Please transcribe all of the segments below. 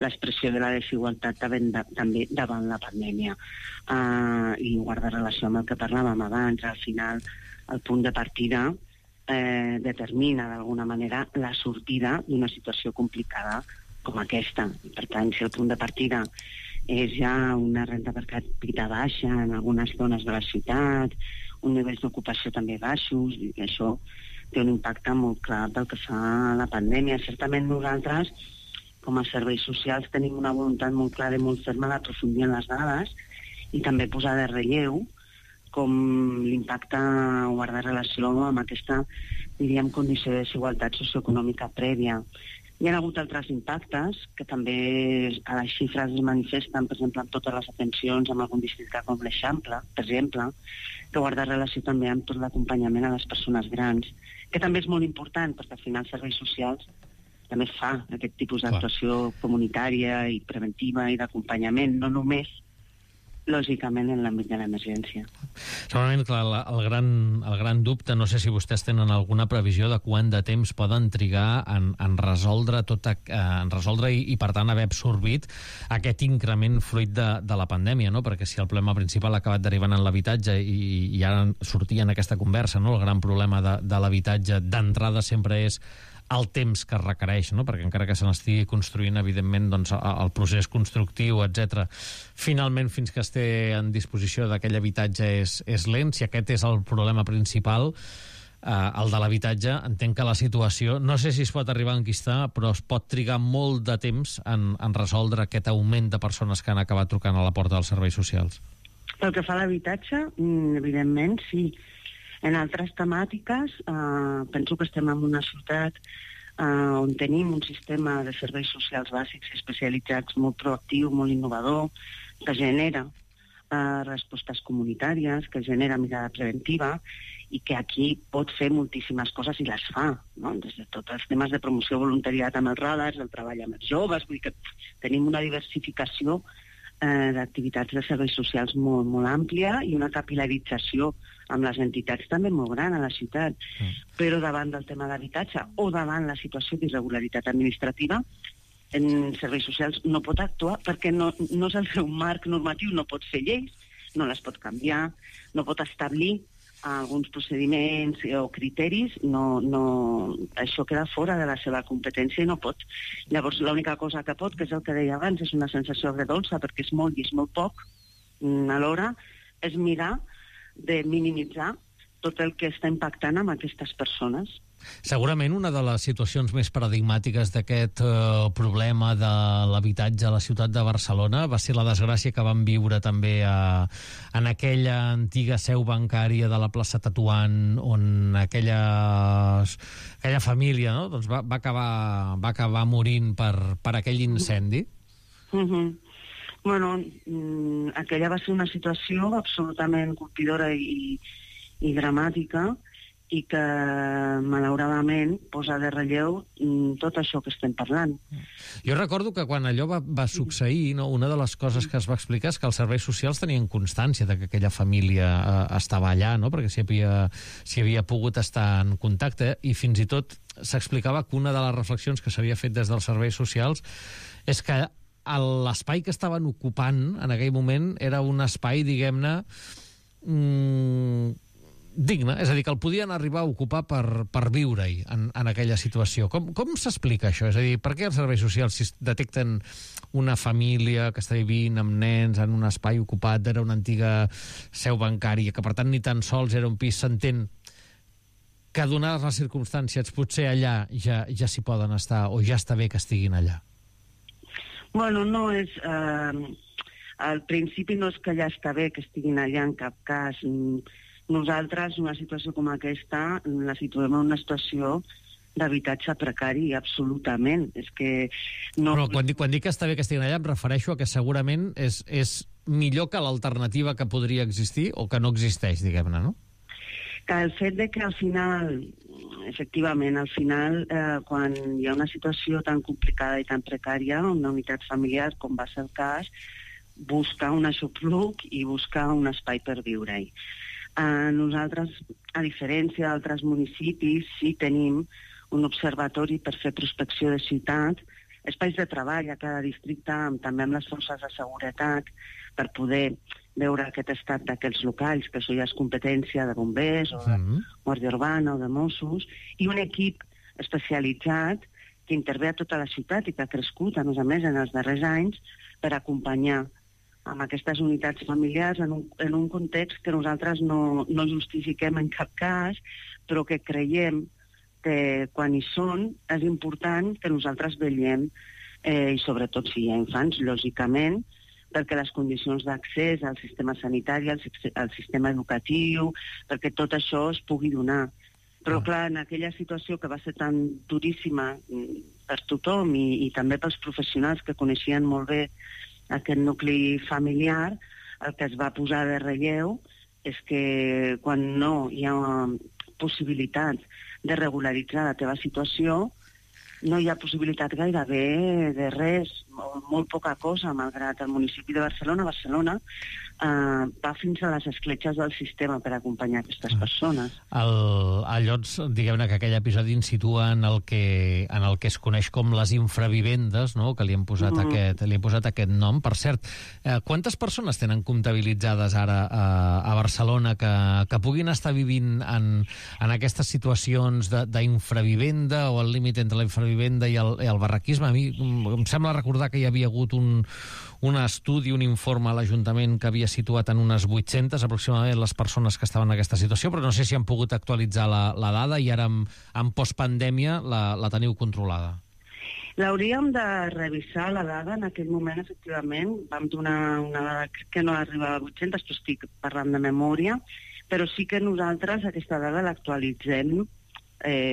l'expressió de la desigualtat també davant la pandèmia. I guarda relació amb el que parlàvem abans. Al final, el punt de partida determina d'alguna manera la sortida d'una situació complicada com aquesta. Per tant, si el punt de partida és ja una renda per capita baixa en algunes zones de la ciutat, un nivell d'ocupació també baixos, i això té un impacte molt clar pel que fa a la pandèmia. Certament nosaltres, com a serveis socials, tenim una voluntat molt clara i molt ferma d'aprofundir en les dades i també posar de relleu com l'impacte guarda relació amb aquesta, diríem, condició de desigualtat socioeconòmica prèvia. Hi ha hagut altres impactes que també a les xifres es manifesten, per exemple, amb totes les atencions amb algun districte com l'Eixample, per exemple, que guarda relació també amb tot l'acompanyament a les persones grans, que també és molt important, perquè al final serveis socials també fa aquest tipus d'actuació comunitària i preventiva i d'acompanyament, no només lògicament en l'àmbit de l'emergència. Segurament, clar, el gran dubte, no sé si vostès tenen alguna previsió de quant de temps poden trigar en resoldre i per tant haver absorbit aquest increment fruit de la pandèmia, no? Perquè si el problema principal ha acabat derivant en l'habitatge i ara sortia en aquesta conversa, no? El gran problema de l'habitatge d'entrada sempre és el temps que requereix, no? Perquè encara que se n'estigui construint, evidentment, doncs, el procés constructiu, etc. Finalment, fins que es té en disposició d'aquell habitatge és lent. Si aquest és el problema principal, el de l'habitatge, entenc que la situació, no sé si es pot arribar a enquistar, però es pot trigar molt de temps en resoldre aquest augment de persones que han acabat trucant a la porta dels serveis socials. Pel que fa a l'habitatge, evidentment, sí. En altres temàtiques, penso que estem en una ciutat on tenim un sistema de serveis socials bàsics especialitzats molt proactiu, molt innovador, que genera respostes comunitàries, que genera mirada preventiva i que aquí pot fer moltíssimes coses i les fa, no? Des de tots els temes de promoció voluntariat amb els radars, el treball amb els joves, vull dir que tenim una diversificació d'activitats de serveis socials molt, molt àmplia i una capilarització amb les entitats també molt gran a la ciutat. Però davant del tema d'habitatge o davant la situació d'irregularitat administrativa, en serveis socials no pot actuar perquè no és el seu marc normatiu, no pot fer lleis, no les pot canviar, no pot establir alguns procediments o criteris, això queda fora de la seva competència i no pot. Llavors l'única cosa que pot, que és el que deia abans, és una sensació agredolça perquè és molt i és molt poc, alhora és mirar de minimitzar tot el que està impactant amb aquestes persones. Segurament una de les situacions més paradigmàtiques d'aquest problema de l'habitatge a la ciutat de Barcelona va ser la desgràcia que van viure també en aquella antiga seu bancària de la plaça Tetuan, on aquella família, no? Doncs va acabar morint per aquell incendi. Bueno, aquella va ser una situació absolutament colpidora i dramàtica i que, malauradament, posa de relleu tot això que estem parlant. Jo recordo que quan allò va succeir, no, una de les coses que es va explicar és que els serveis socials tenien constància de que aquella família estava allà, no? Perquè s'hi havia pogut estar en contacte, i fins i tot s'explicava que una de les reflexions que s'havia fet des dels serveis socials és que l'espai que estaven ocupant en aquell moment era un espai, diguem-ne, digne, és a dir, que el podien arribar a ocupar per viure-hi en aquella situació. Com s'explica això? És a dir, per què els serveis socials, si detecten una família que està vivint amb nens en un espai ocupat, era una antiga seu bancària, que per tant ni tan sols era un pis, s'entén que donades les circumstàncies potser allà ja s'hi poden estar, o ja està bé que estiguin allà? Bueno, no és... al principi no és que ja està bé que estiguin allà en cap cas. Nosaltres, una situació com aquesta, la situem en una situació d'habitatge precari, absolutament. És que no... Però quan dic que està bé que estiguin allà, em refereixo a que segurament és millor que l'alternativa que podria existir o que no existeix, diguem-ne, no? Que el fet de que al final, efectivament, quan hi ha una situació tan complicada i tan precària, una unitat familiar, com va ser el cas, busca un aixopluc i busca un espai per viure-hi. Nosaltres, a diferència d'altres municipis, sí tenim un observatori per fer prospecció de ciutat espais de treball a cada districte, també amb les forces de seguretat, per poder veure aquest estat d'aquests locals, que això ja és competència de bombers o de Guàrdia Urbana o de Mossos, i un equip especialitzat que intervé a tota la ciutat i que ha crescut, a més en els darrers anys, per acompanyar amb aquestes unitats familiars en un context que nosaltres no justifiquem en cap cas, però que creiem que quan hi són és important que nosaltres vetllem, i sobretot si hi ha infants, lògicament, perquè les condicions d'accés al sistema sanitari, al sistema educatiu, perquè tot això es pugui donar. Però, clar, en aquella situació que va ser tan duríssima per tothom i també pels professionals que coneixien molt bé aquest nucli familiar, el que es va posar de relleu és que quan no hi ha possibilitat de regularitzar la teva situació, no hi ha possibilitat gairebé de res, molt poca cosa, malgrat el municipi de Barcelona va fins a les escletxes del sistema per acompanyar aquestes persones. Llavors, diguem-ne que aquell episodi ens situa en el que es coneix com les infravivendes, no? Que li hem posat aquest nom. Per cert, quantes persones tenen comptabilitzades ara a Barcelona que puguin estar vivint en aquestes situacions d'infravivenda o al límit entre la infravivenda i el barraquisme? A mi em sembla recordar que hi havia hagut un estudi, un informe a l'Ajuntament que havia situat en unes 800 aproximadament les persones que estaven en aquesta situació, però no sé si han pogut actualitzar la dada i ara en postpandèmia la teniu controlada. L'hauríem de revisar, la dada. En aquell moment, efectivament, vam donar una dada que no arribava a 800, però estic parlant de memòria, però sí que nosaltres aquesta dada l'actualitzem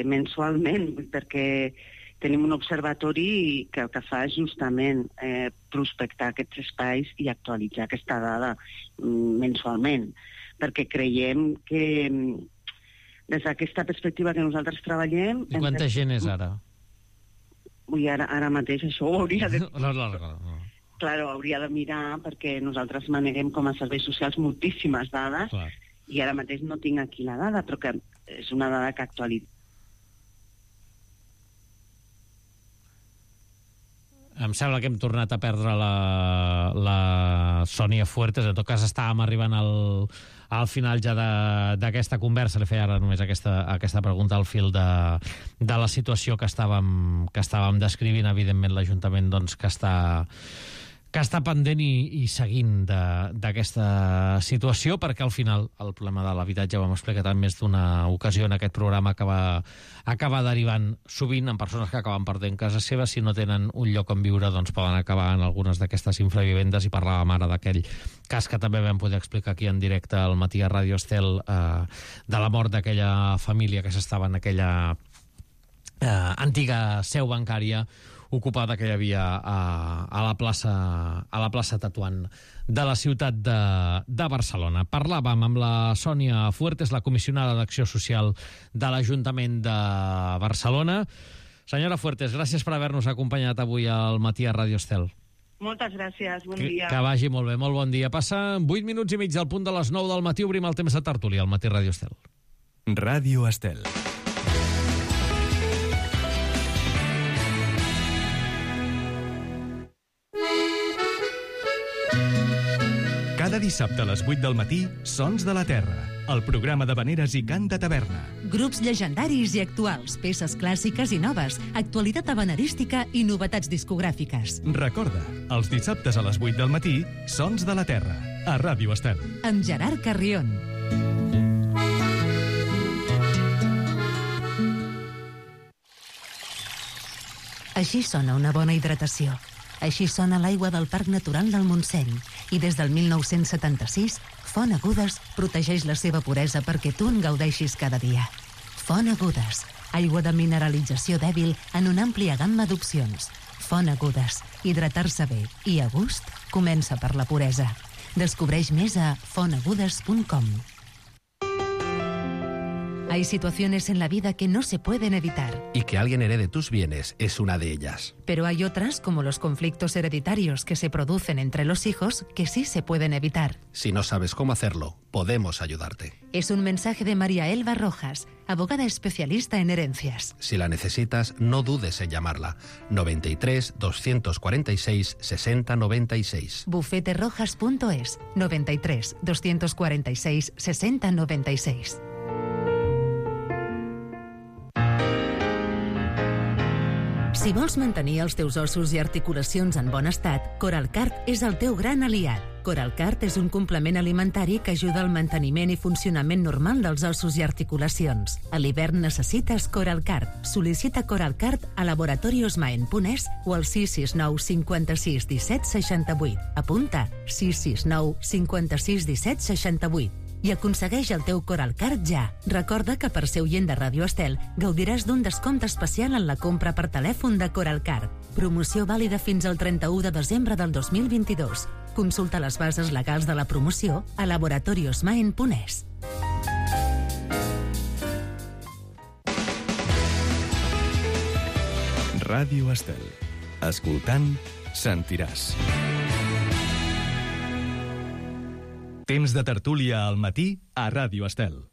mensualment, perquè tenim un observatori que el que fa és justament prospectar aquests espais i actualitzar aquesta dada mensualment, perquè creiem que des d'aquesta perspectiva que nosaltres treballem... I quanta gent és ara? Ara mateix això ho hauria de... No. Claro, hauria de mirar, perquè nosaltres maneguem com a serveis socials moltíssimes dades, i ara mateix no tinc aquí la dada, però que és una dada que actualitza. Em sembla que hem tornat a perdre la Sònia Fuertes. En tot cas, estàvem arribant al final ja d'aquesta conversa. Li feia ara només aquesta pregunta al fil de la situació que estàvem descrivint. Evidentment, l'Ajuntament doncs, que està pendent i seguint d'aquesta situació, perquè al final el problema de l'habitatge, ho hem explicat en més d'una ocasió en aquest programa, acaba derivant sovint en persones que acaben perdent casa seva. Si no tenen un lloc on viure, doncs poden acabar en algunes d'aquestes infravivendes, i parlàvem ara d'aquell cas que també vam poder explicar aquí en directe al matí a Ràdio Estel, de la mort d'aquella família que s'estava en aquella antiga seu bancària ocupada que hi havia a la plaça Tetuan de la ciutat de Barcelona. Parlàvem amb la Sònia Fuertes, la comissionada d'Acció Social de l'Ajuntament de Barcelona. Senyora Fuertes, gràcies per haver-nos acompanyat avui al matí a Ràdio Estel. Moltes gràcies, bon dia. Que vagi molt bé, molt bon dia. Passa 8 minuts i mig del punt de les 9 del matí, obrim el temps de tertúlia al matí Ràdio Estel. Ràdio Estel. Cada dissabte a les 8 del matí, Sons de la Terra, el programa d'havaneres i cant de taverna. Grups llegendaris i actuals, peces clàssiques i noves, actualitat havanerística i novetats discogràfiques. Recorda, els dissabtes a les 8 del matí, Sons de la Terra, a Ràdio Estel. Amb Gerard Carrion. Així sona una bona hidratació. Així sona l'aigua del Parc Natural del Montseny. I des del 1976, Font Agudes protegeix la seva puresa perquè tu en gaudeixis cada dia. Font Agudes, aigua de mineralització dèbil en una àmplia gamma d'opcions. Font Agudes, hidratar-se bé i a gust comença per la puresa. Descobreix més a fontagudes.com. Hay situaciones en la vida que no se pueden evitar. Y que alguien herede tus bienes es una de ellas. Pero hay otras, como los conflictos hereditarios que se producen entre los hijos, que sí se pueden evitar. Si no sabes cómo hacerlo, podemos ayudarte. Es un mensaje de María Elba Rojas, abogada especialista en herencias. Si la necesitas, no dudes en llamarla. 93 246 60 96. bufeterojas.es 93 246 60 96. Si vols mantenir els teus ossos i articulacions en bon estat, Coralcart és el teu gran aliat. Coralcart és un complement alimentari que ajuda al manteniment i funcionament normal dels ossos i articulacions. A l'hivern necessites Coralcart. Sol·licita Coralcart a laboratoriosmaen.es o al 669 56 17 68. Apunta 669 56 17 68. I aconsegueix el teu Coralcart ja. Recorda que per ser oient de Ràdio Estel gaudiràs d'un descompte especial en la compra per telèfon de Coralcart. Promoció vàlida fins al 31 de desembre del 2022. Consulta les bases legals de la promoció a laboratoriosmaen.es. Ràdio Estel. Escoltant, sentiràs. Temps de tertúlia al matí a Ràdio Estel.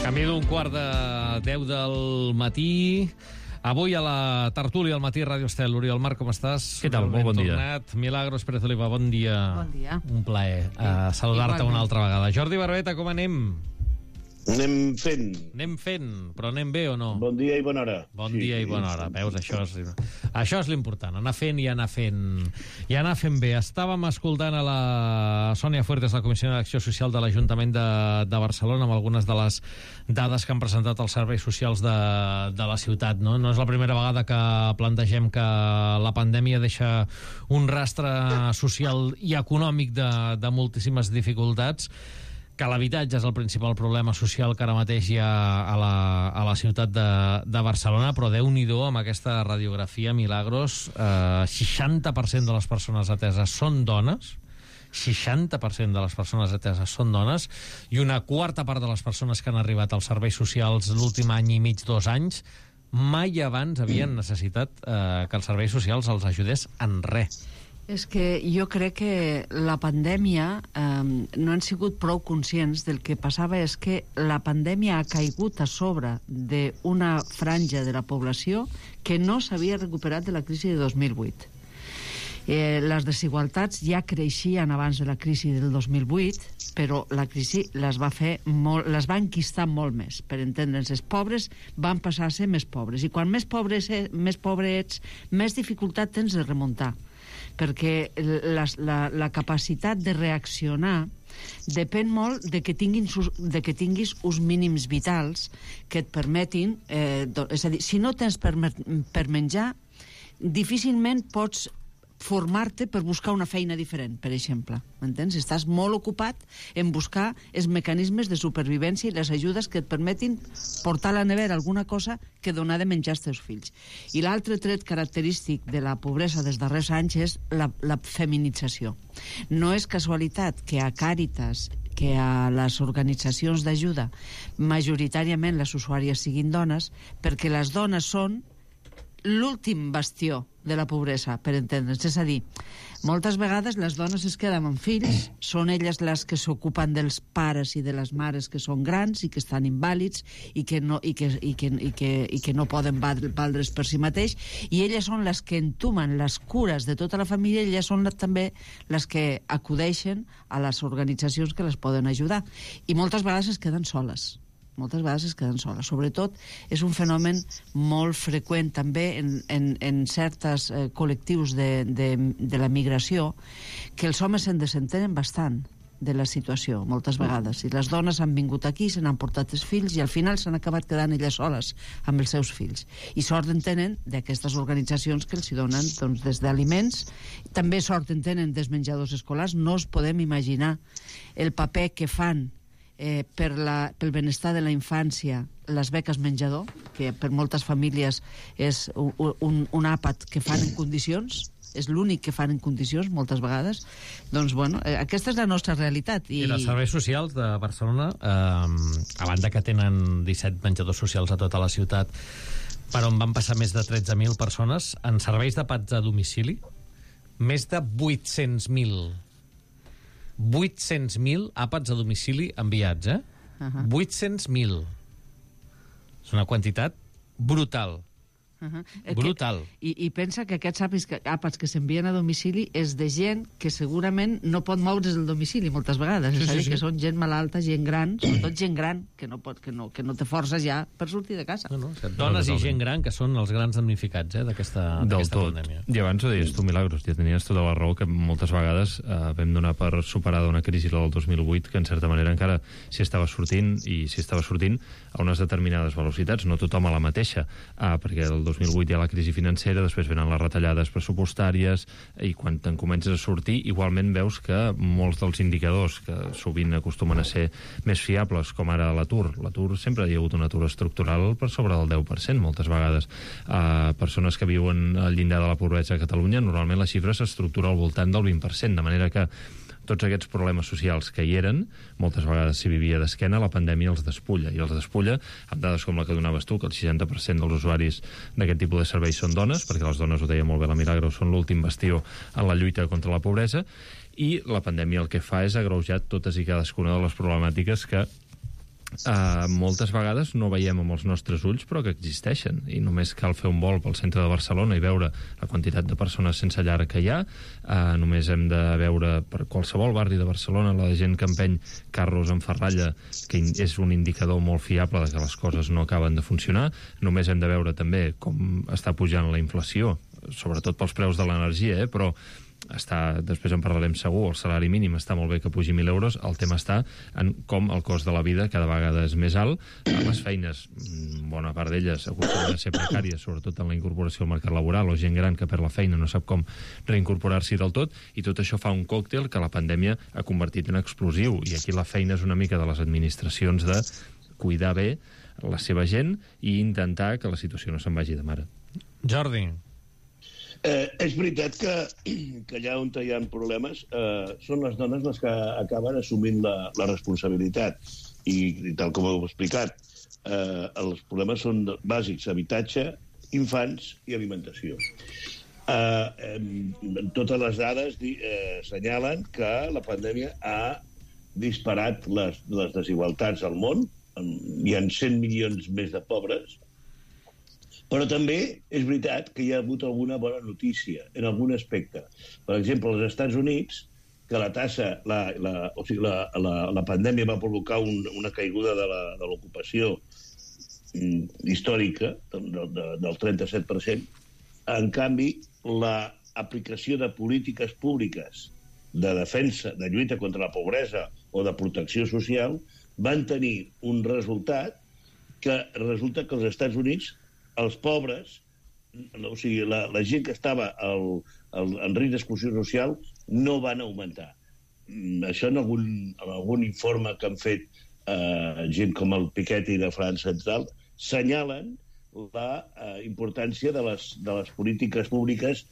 Camí d'un quart de 10 del matí. Avui a la tertúlia al matí Ràdio Estel. Oriol Marc, com estàs? Què tal? Molt bon dia. Milagros Pérez Oliva, bon dia. Bon dia. Un plaer saludar-te una altra vegada. Jordi Barbeta, com anem? Anem fent. Anem fent, però anem bé o no? Bon dia i bona hora. Bon dia i bona hora. Veus, això és l'important, anar fent i anar fent bé. Estàvem escoltant a la Sònia Fuertes, la Comissió d'Acció Social de l'Ajuntament de Barcelona, amb algunes de les dades que han presentat els serveis socials de la ciutat. No és la primera vegada que plantegem que la pandèmia deixa un rastre social i econòmic de moltíssimes dificultats, que l'habitatge és el principal problema social que ara mateix hi ha a la ciutat de Barcelona, però Déu-n'hi-do amb aquesta radiografia, Milagros. 60% de les persones ateses són dones, 60% de les persones ateses són dones, i una quarta part de les persones que han arribat als serveis socials l'últim any i mig, 2 anys, mai abans havien necessitat que els serveis socials els ajudés en res. És que jo crec que la pandèmia no han sigut prou conscients del que passava. És que la pandèmia ha caigut a sobre d'una franja de la població que no s'havia recuperat de la crisi de 2008. Les desigualtats ja creixien abans de la crisi del 2008, però la crisi les va enquistar molt més. Per entendre'ns, els pobres van passar a ser més pobres, i quan més pobre ets, més dificultat tens de remuntar, perquè la capacitat de reaccionar depèn molt de que tinguis uns mínims vitals que et permetin... és a dir, si no tens per menjar, difícilment pots formar-te per buscar una feina diferent, per exemple. M'entens? Estàs molt ocupat en buscar els mecanismes de supervivència i les ajudes que et permetin portar a la nevera alguna cosa que donar de menjar als teus fills. I l'altre tret característic de la pobresa dels darrers anys és la feminització. No és casualitat que a Càritas, que a les organitzacions d'ajuda majoritàriament les usuàries siguin dones, perquè les dones són l'últim bastió de la pobresa, per entendre'ns. És a dir, moltes vegades les dones es queden amb fills, són elles les que s'ocupen dels pares i de les mares que són grans i que estan invàlids i que no poden valdre's per si mateix, i elles són les que entomen les cures de tota la família, i elles són també les que acudeixen a les organitzacions que les poden ajudar. I moltes vegades es queden soles. Sobretot és un fenomen molt freqüent també en certs col·lectius de la migració, que els homes se'n desentenen bastant. de la situació, moltes vegades. I les dones han vingut aquí, se n'han portat els fills i al final s'han acabat quedant elles soles amb els seus fills. I sort en tenen d'aquestes organitzacions que els hi donen doncs, des d'aliments. També sort en tenen dels menjadors escolars. No us podem imaginar el paper que fan pel benestar de la infància les beques menjador, que per moltes famílies és un àpat que fan en condicions, és l'únic que fan en condicions moltes vegades. Doncs bueno, aquesta és la nostra realitat. I els serveis socials de Barcelona, a banda que tenen 17 menjadors socials a tota la ciutat, per on van passar més de 13.000 persones, en serveis d'àpats a domicili, més de 800.000 àpats a domicili enviats, 800.000. És una quantitat brutal. Brutal. I pensa que aquests àpats que s'envien a domicili és de gent que segurament no pot moure's del domicili moltes vegades. És a dir, que són gent malalta, gent gran, sobretot gent gran, que no té forces ja per sortir de casa. Dones i gent gran que són els grans damnificats d'aquesta pandèmia. I abans ho deies tu, Milagros, ja tenies tota la raó que moltes vegades vam donar per superada una crisi, la del 2008, que en certa manera encara s'hi estava sortint, i s'hi estava sortint a unes determinades velocitats, no tothom a la mateixa, perquè el 2008 hi ha la crisi financera, després venen les retallades pressupostàries, i quan te'n comences a sortir, igualment veus que molts dels indicadors que sovint acostumen a ser més fiables, com ara l'atur sempre hi ha hagut un atur estructural per sobre del 10%, moltes vegades. Persones que viuen al llindar de la pobresa a Catalunya, normalment la xifra s'estructura al voltant del 20%, de manera que tots aquests problemes socials que hi eren, moltes vegades s'hi vivia d'esquena, la pandèmia els despulla, i els despulla amb dades com la que donaves tu, que el 60% dels usuaris d'aquest tipus de serveis són dones, perquè les dones, ho deia molt bé la Milagros, són l'últim bastió en la lluita contra la pobresa, i la pandèmia el que fa és agreujar totes i cadascuna de les problemàtiques que moltes vegades no veiem amb els nostres ulls, però que existeixen, i només cal fer un vol pel centre de Barcelona i veure la quantitat de persones sense llar que hi ha. Només hem de veure per qualsevol barri de Barcelona la gent que empeny carros en ferralla, que és un indicador molt fiable de que les coses no acaben de funcionar. Només hem de veure també com està pujant la inflació, sobretot pels preus de l'energia, però després en parlarem segur, el salari mínim està molt bé que pugi 1.000 euros, el tema està en com el cost de la vida cada vegada és més alt, les feines, bona part d'elles acostumen a ser precàries, sobretot en la incorporació al mercat laboral, o gent gran que perd la feina no sap com reincorporar-s'hi del tot, i tot això fa un còctel que la pandèmia ha convertit en explosiu, i aquí la feina és una mica de les administracions de cuidar bé la seva gent i intentar que la situació no se'n vagi de mare. Jordi. És veritat que allà on hi ha problemes són les dones les que acaben assumint la responsabilitat, i tal com heu explicat, els problemes són bàsics: habitatge, infants i alimentació. Totes les dades assenyalen que la pandèmia ha disparat les desigualtats al món. Hi ha 100 milions més de pobres. Però també és veritat que hi ha hagut alguna bona notícia en algun aspecte. Per exemple, als Estats Units, que la pandèmia va provocar una caiguda de l'ocupació històrica del 37%, en canvi, l'aplicació de polítiques públiques de defensa, de lluita contra la pobresa o de protecció social van tenir un resultat que resulta que als Estats Units els pobres, o sigui, la gent que estava en risc d'exclusió social no van augmentar. Això en algun informe que han fet gent com el Piketty de França Central senyalen la importància de les polítiques públiques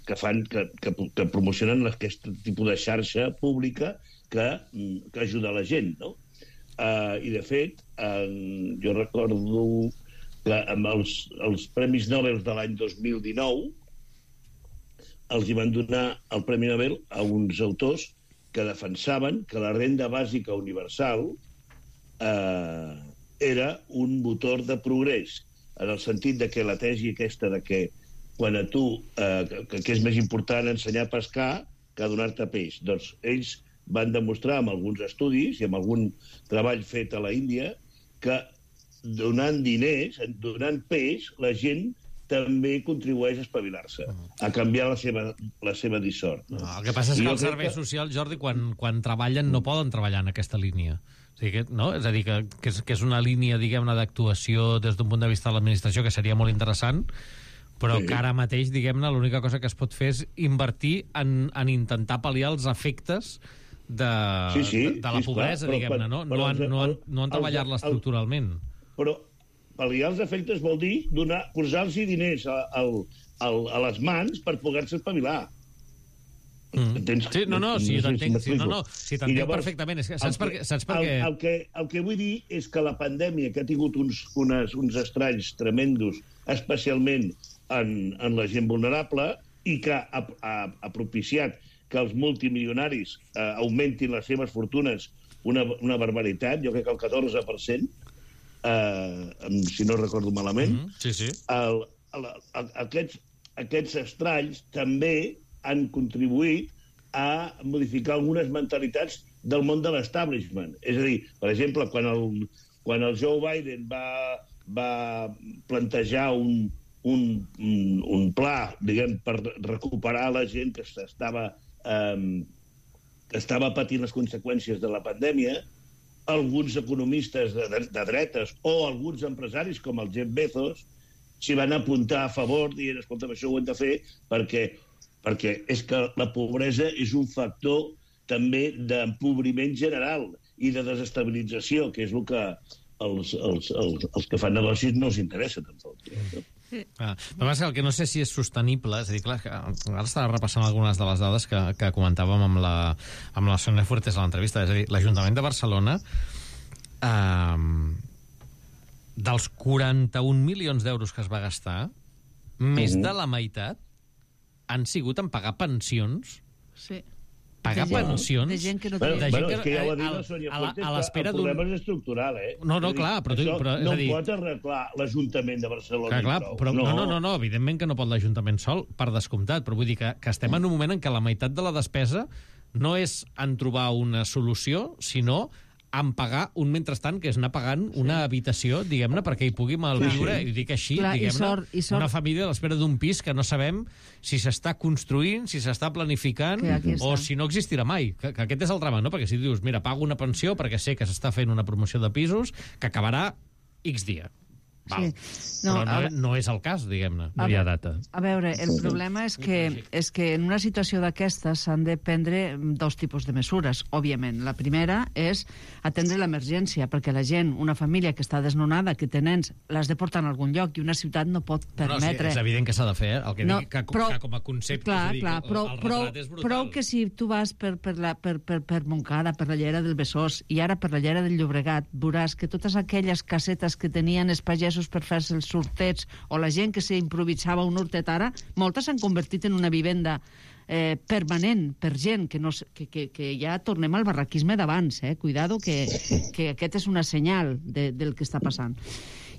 que promocionen aquest tipus de xarxa pública que ajuda la gent, no? I, de fet, jo recordo que amb els Premis Nobel de l'any 2019 els hi van donar el Premi Nobel a uns autors que defensaven que la renda bàsica universal era un motor de progrés, en el sentit de que la tesi aquesta de que quan a tu que és més important ensenyar a pescar que donar-te peix. Doncs ells van demostrar amb alguns estudis i amb algun treball fet a la Índia que donant diners, donant peix, la gent també contribueix a espavilar-se, a canviar la seva dissort. No, el que passa és que els serveis socials, Jordi, quan treballen no poden treballar en aquesta línia. O sigui, no? És a dir, que és una línia, diguem-ne, d'actuació des d'un punt de vista de l'administració que seria molt interessant, però que ara mateix, diguem-ne, l'única cosa que es pot fer és invertir en intentar pal·liar els efectes de la pobresa, diguem-ne, no en treballar-la estructuralment. Però pal·liar els efectes vol dir posar-los diners a les mans per poder-se espavilar. Sí, sí, t'entenc perfectament. Saps per què? El que vull dir és que la pandèmia, que ha tingut uns estralls tremendos, especialment en la gent vulnerable, i que ha propiciat que els multimilionaris augmentin les seves fortunes una barbaritat, jo crec que el 14%, si no recordo malament. Aquests estralls també han contribuït a modificar algunes mentalitats del món de l'establishment. És a dir, per exemple, quan el Joe Biden va plantejar un pla, diguem, per recuperar la gent que estava patint les conseqüències de la pandèmia, alguns economistes de dretes o alguns empresaris, com el Jeff Bezos, s'hi van apuntar a favor, dient, escolta, això ho hem de fer perquè és que la pobresa és un factor també d'empobriment general i de desestabilització, que és el que els que fan negocis no els interessa, tampoc. El que no sé si és sostenible, és a dir, clar, ara estava repassant algunes de les dades que comentàvem amb la Sonia Fuertes a l'entrevista. És a dir, l'Ajuntament de Barcelona, dels 41 milions d'euros que es va gastar, més de la meitat han sigut en pagar pensions. Sí. Pagar pensions de gent que no té... és que ja ho ha dit la Sonia Fuertes, que el problema és estructural, No, clar, però... No pot arreglar l'Ajuntament de Barcelona. No, evidentment que no pot l'Ajuntament sol, per descomptat, però vull dir que estem en un moment en què la meitat de la despesa no és en trobar una solució, sinó en pagar un mentrestant, que és anar pagant una habitació, diguem-ne, perquè hi pugui malviure, i dic així, diguem-ne, una família a l'espera d'un pis que no sabem si s'està construint, si s'està planificant, o si no existirà mai. Que aquest és el drama, no? Perquè si dius, mira, pago una pensió perquè sé que s'està fent una promoció de pisos que acabarà X dia. Val. Però no és el cas, diguem-ne. No hi ha data. A veure, el problema és que en una situació d'aquesta s'han de prendre dos tipus de mesures, òbviament. La primera és atendre l'emergència, perquè la gent, una família que està desnonada, que té nens, l'has de portar en algun lloc i una ciutat no pot permetre... És evident que s'ha de fer, el que dic que com a concepte... Clar, el retrat és brutal. Prou que si tu vas per Montcada, per la Llera del Besòs i ara per la Llera del Llobregat, veuràs que totes aquelles casetes que tenien els pagesos per fer-se els sortets, o la gent que s'improvisava un hortet ara, moltes s'han convertit en una vivenda permanent per gent que ja tornem al barraquisme d'abans, cuidado, que aquest és una senyal del que està passant.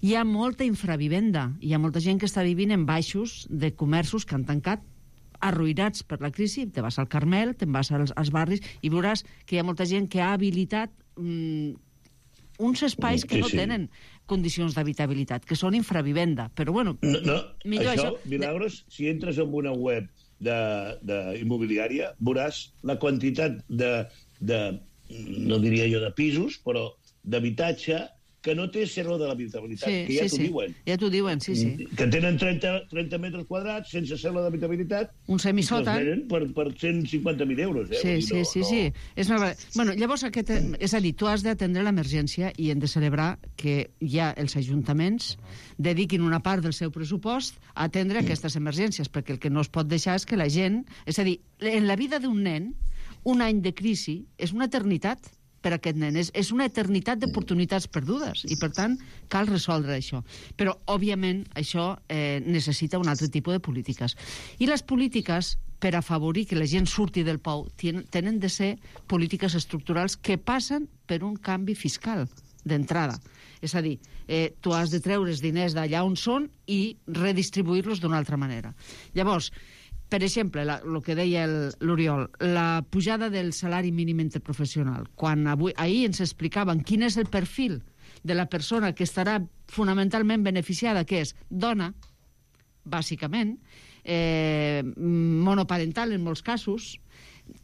Hi ha molta infravivenda, hi ha molta gent que està vivint en baixos de comerços que han tancat, arruïnats per la crisi. Te vas al Carmel, te'n vas als barris i veuràs que hi ha molta gent que ha habilitat uns espais que no tenen condicions d'habitabilitat, que són infravivenda. Però, bueno, millor això... Milagros, si entres en una web d'immobiliària, veuràs la quantitat no diria jo de pisos, però d'habitatge que no té cerro de l'habitabilitat, que ja t'ho diuen. Ja t'ho diuen, sí. Que tenen 30 metres quadrats sense cerro d'habitabilitat. Un semisòtan. I els venen per 150.000 euros. Sí. Bueno, llavors, és a dir, tu has d'atendre l'emergència i hem de celebrar que ja els ajuntaments dediquin una part del seu pressupost a atendre aquestes emergències, perquè el que no es pot deixar és que la gent... És a dir, en la vida d'un nen, un any de crisi és una eternitat per aquest nen. És una eternitat d'oportunitats perdudes i, per tant, cal resoldre això. Però, òbviament, això necessita un altre tipus de polítiques. I les polítiques, per afavorir que la gent surti del pou, tenen de ser polítiques estructurals que passen per un canvi fiscal d'entrada. És a dir, tu has de treure els diners d'allà on són i redistribuir-los d'una altra manera. Llavors, per exemple, el que deia l'Oriol, la pujada del salari mínim interprofessional. Quan ahir ens explicaven quin és el perfil de la persona que estarà fonamentalment beneficiada, que és dona, bàsicament, monoparental en molts casos,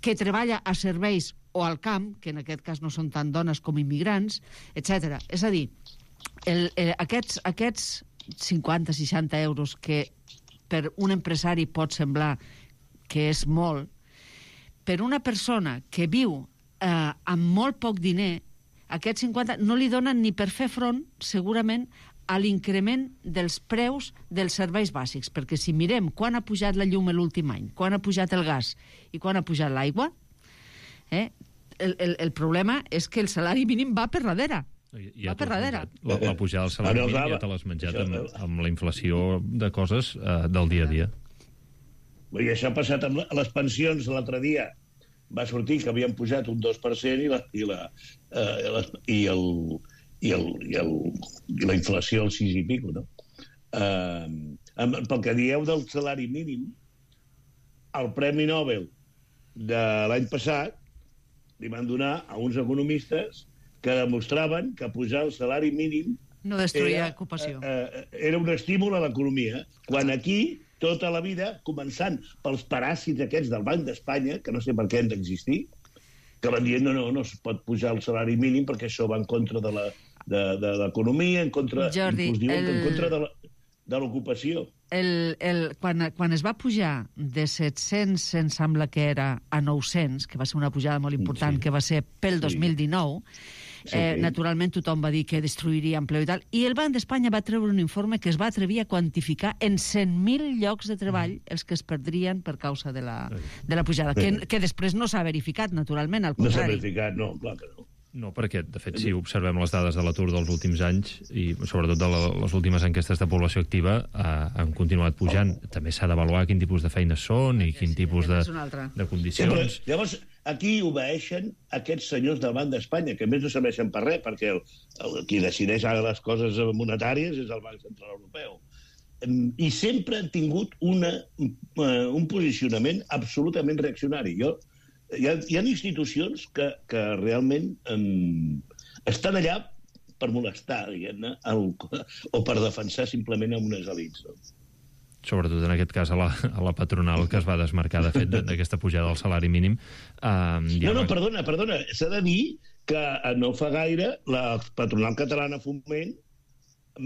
que treballa a serveis o al camp, que en aquest cas no són tant dones com immigrants, etc. És a dir, aquests 50-60 euros que per un empresari pot semblar que és molt, per una persona que viu amb molt poc diner, aquests 50 no li donen ni per fer front, segurament, a l'increment dels preus dels serveis bàsics. Perquè si mirem quan ha pujat la llum l'últim any, quan ha pujat el gas i quan ha pujat l'aigua, el problema és que el salari mínim va per darrere. Va per darrere. La pujada del salari mínim ja te l'has menjat amb la inflació de coses del dia a dia. I això ha passat amb les pensions l'altre dia. Va sortir que havien pujat un 2% i la inflació al 6 i pico, no? Pel que dieu del salari mínim, el Premi Nobel de l'any passat li van donar a uns economistes que demostraven que pujar el salari mínim no destruïa ocupació. Era un estímul a l'economia, quan aquí tota la vida, començant pels paràsits aquests del Banc d'Espanya, que no sé per què han d'existir, que van dient no es pot pujar el salari mínim perquè això va en contra de l'economia, en contra, Jordi, en contra de l'ocupació. Quan es va pujar de 700, em sembla que era, a 900, que va ser una pujada molt important, que va ser pel 2019, naturalment tothom va dir que destruiria empleo i tal, i el Banc d'Espanya va treure un informe que es va atrevir a quantificar en 100.000 llocs de treball els que es perdrien per causa de la pujada, que després no s'ha verificat, naturalment, al contrari. No s'ha verificat, no, clar que no. No, perquè, de fet, si observem les dades de l'atur dels últims anys i sobretot de les últimes enquestes de població activa, han continuat pujant. També s'ha d'avaluar quin tipus de feines són i quin tipus de condicions. Llavors, aquí obeeixen aquests senyors del Banc d'Espanya, que a més no serveixen per res, perquè qui decideix ara les coses monetàries és el Banc Central Europeu. I sempre han tingut un posicionament absolutament reaccionari. Hi ha institucions que realment estan allà per molestar, diguem-ne, o per defensar simplement a unes elits. Sobretot en aquest cas a la patronal, que es va desmarcar, de fet, d'aquesta pujada del salari mínim. Perdona, s'ha de dir que no fa gaire la patronal catalana Foment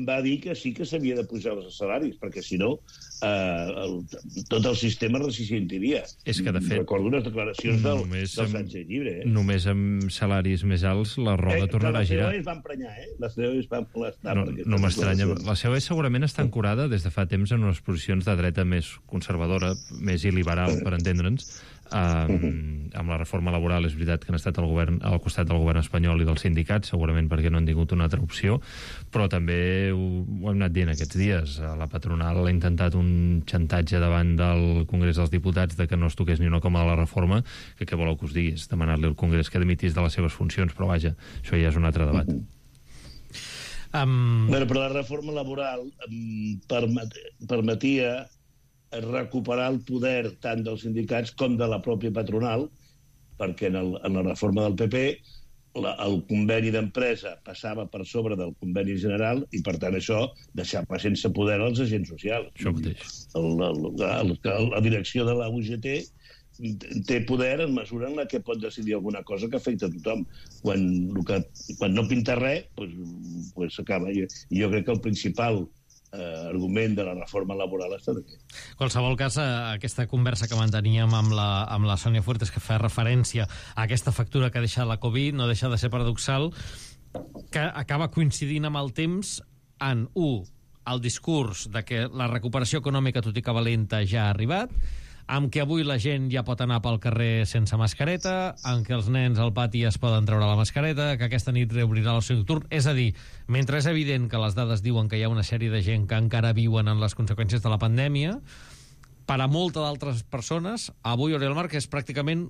va dir que sí que s'havia de pujar els salaris, perquè si no tot el sistema resistentiria. És que, de fet, recordo unes declaracions del Sánchez Llibre. Només amb salaris més alts la roda tornarà a girar. La COE es va emprenyar, la COE es va molestar. No m'estranya. La COE segurament està ancorada des de fa temps en unes posicions de dreta més conservadora, més il·liberal, per entendre'ns. Amb la reforma laboral és veritat que han estat al costat del govern espanyol i dels sindicats, segurament perquè no han tingut una altra opció, però també ho hem anat dient aquests dies. La patronal ha intentat un xantatge davant del Congrés dels Diputats de que no es toqués ni una coma de la reforma, que què voleu que us digui? És demanar-li al Congrés que dimitís de les seves funcions, però vaja, això ja és un altre debat. Però la reforma laboral permetia recuperar el poder tant dels sindicats com de la pròpia patronal, perquè en la reforma del PP el conveni d'empresa passava per sobre del conveni general i, per tant, això deixava sense poder els agents socials. Això mateix. La direcció de la UGT té poder en mesura en la que pot decidir alguna cosa que afecta a tothom. Quan no pinta res, doncs s'acaba. I jo crec que el principal argument de la reforma laboral està d'aquí. En qualsevol cas, aquesta conversa que manteníem amb la Sònia Fuertes, que fa referència a aquesta factura que ha deixat la Covid, no deixa de ser paradoxal, que acaba coincidint amb el temps en, el discurs de que la recuperació econòmica, tot i que valenta, ja ha arribat, amb que avui la gent ja pot anar pel carrer sense mascareta, amb que els nens al pati es poden treure la mascareta, que aquesta nit reobrirà l'oci nocturn. És a dir, mentre és evident que les dades diuen que hi ha una sèrie de gent que encara viuen en les conseqüències de la pandèmia, per a moltes d'altres persones, avui Oriol Marc és pràcticament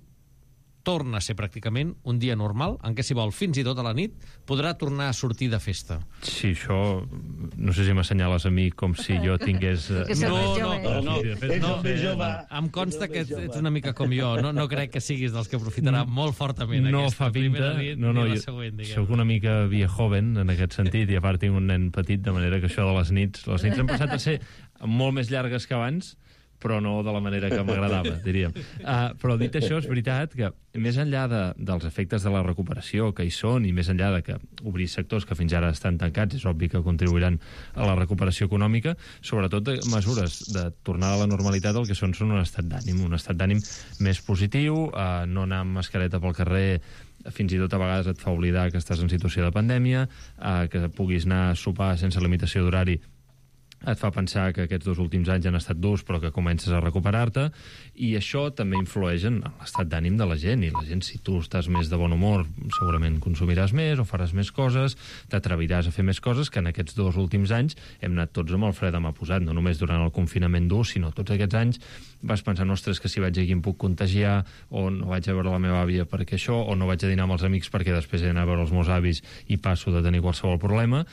torna a ser pràcticament un dia normal, en què si vol fins i tot a la nit podrà tornar a sortir de festa. Sí, això no sé si m'assenyales a mi com si jo tingués... Em consta que ets una mica com jo, no crec que siguis dels que aprofitarà molt fortament aquesta primera nit ni la següent, diguem. Soc una mica viejoven en aquest sentit, i a part tinc un nen petit, de manera que això de les nits han passat a ser molt més llargues que abans, però no de la manera que m'agradava, diríem. Però dit això, és veritat que més enllà dels efectes de la recuperació que hi són, i més enllà de que obrir sectors que fins ara estan tancats, és obvi que contribuiran a la recuperació econòmica, sobretot mesures de tornar a la normalitat el que són un estat d'ànim més positiu, no anar amb mascareta pel carrer fins i tot a vegades et fa oblidar que estàs en situació de pandèmia, que puguis anar a sopar sense limitació d'horari et fa pensar que aquests 2 últims anys han estat durs però que comences a recuperar-te, i això també influeix en l'estat d'ànim de la gent, i la gent, si tu estàs més de bon humor, segurament consumiràs més o faràs més coses, t'atreviràs a fer més coses, que en aquests 2 últims anys hem anat tots amb el fre de mà posat, no només durant el confinament dur, sinó tots aquests anys vas pensant, ostres, que si vaig aquí em puc contagiar, o no vaig a veure la meva àvia perquè això, o no vaig a dinar amb els amics perquè després he d'anar a veure els meus avis i passo de tenir qualsevol problema.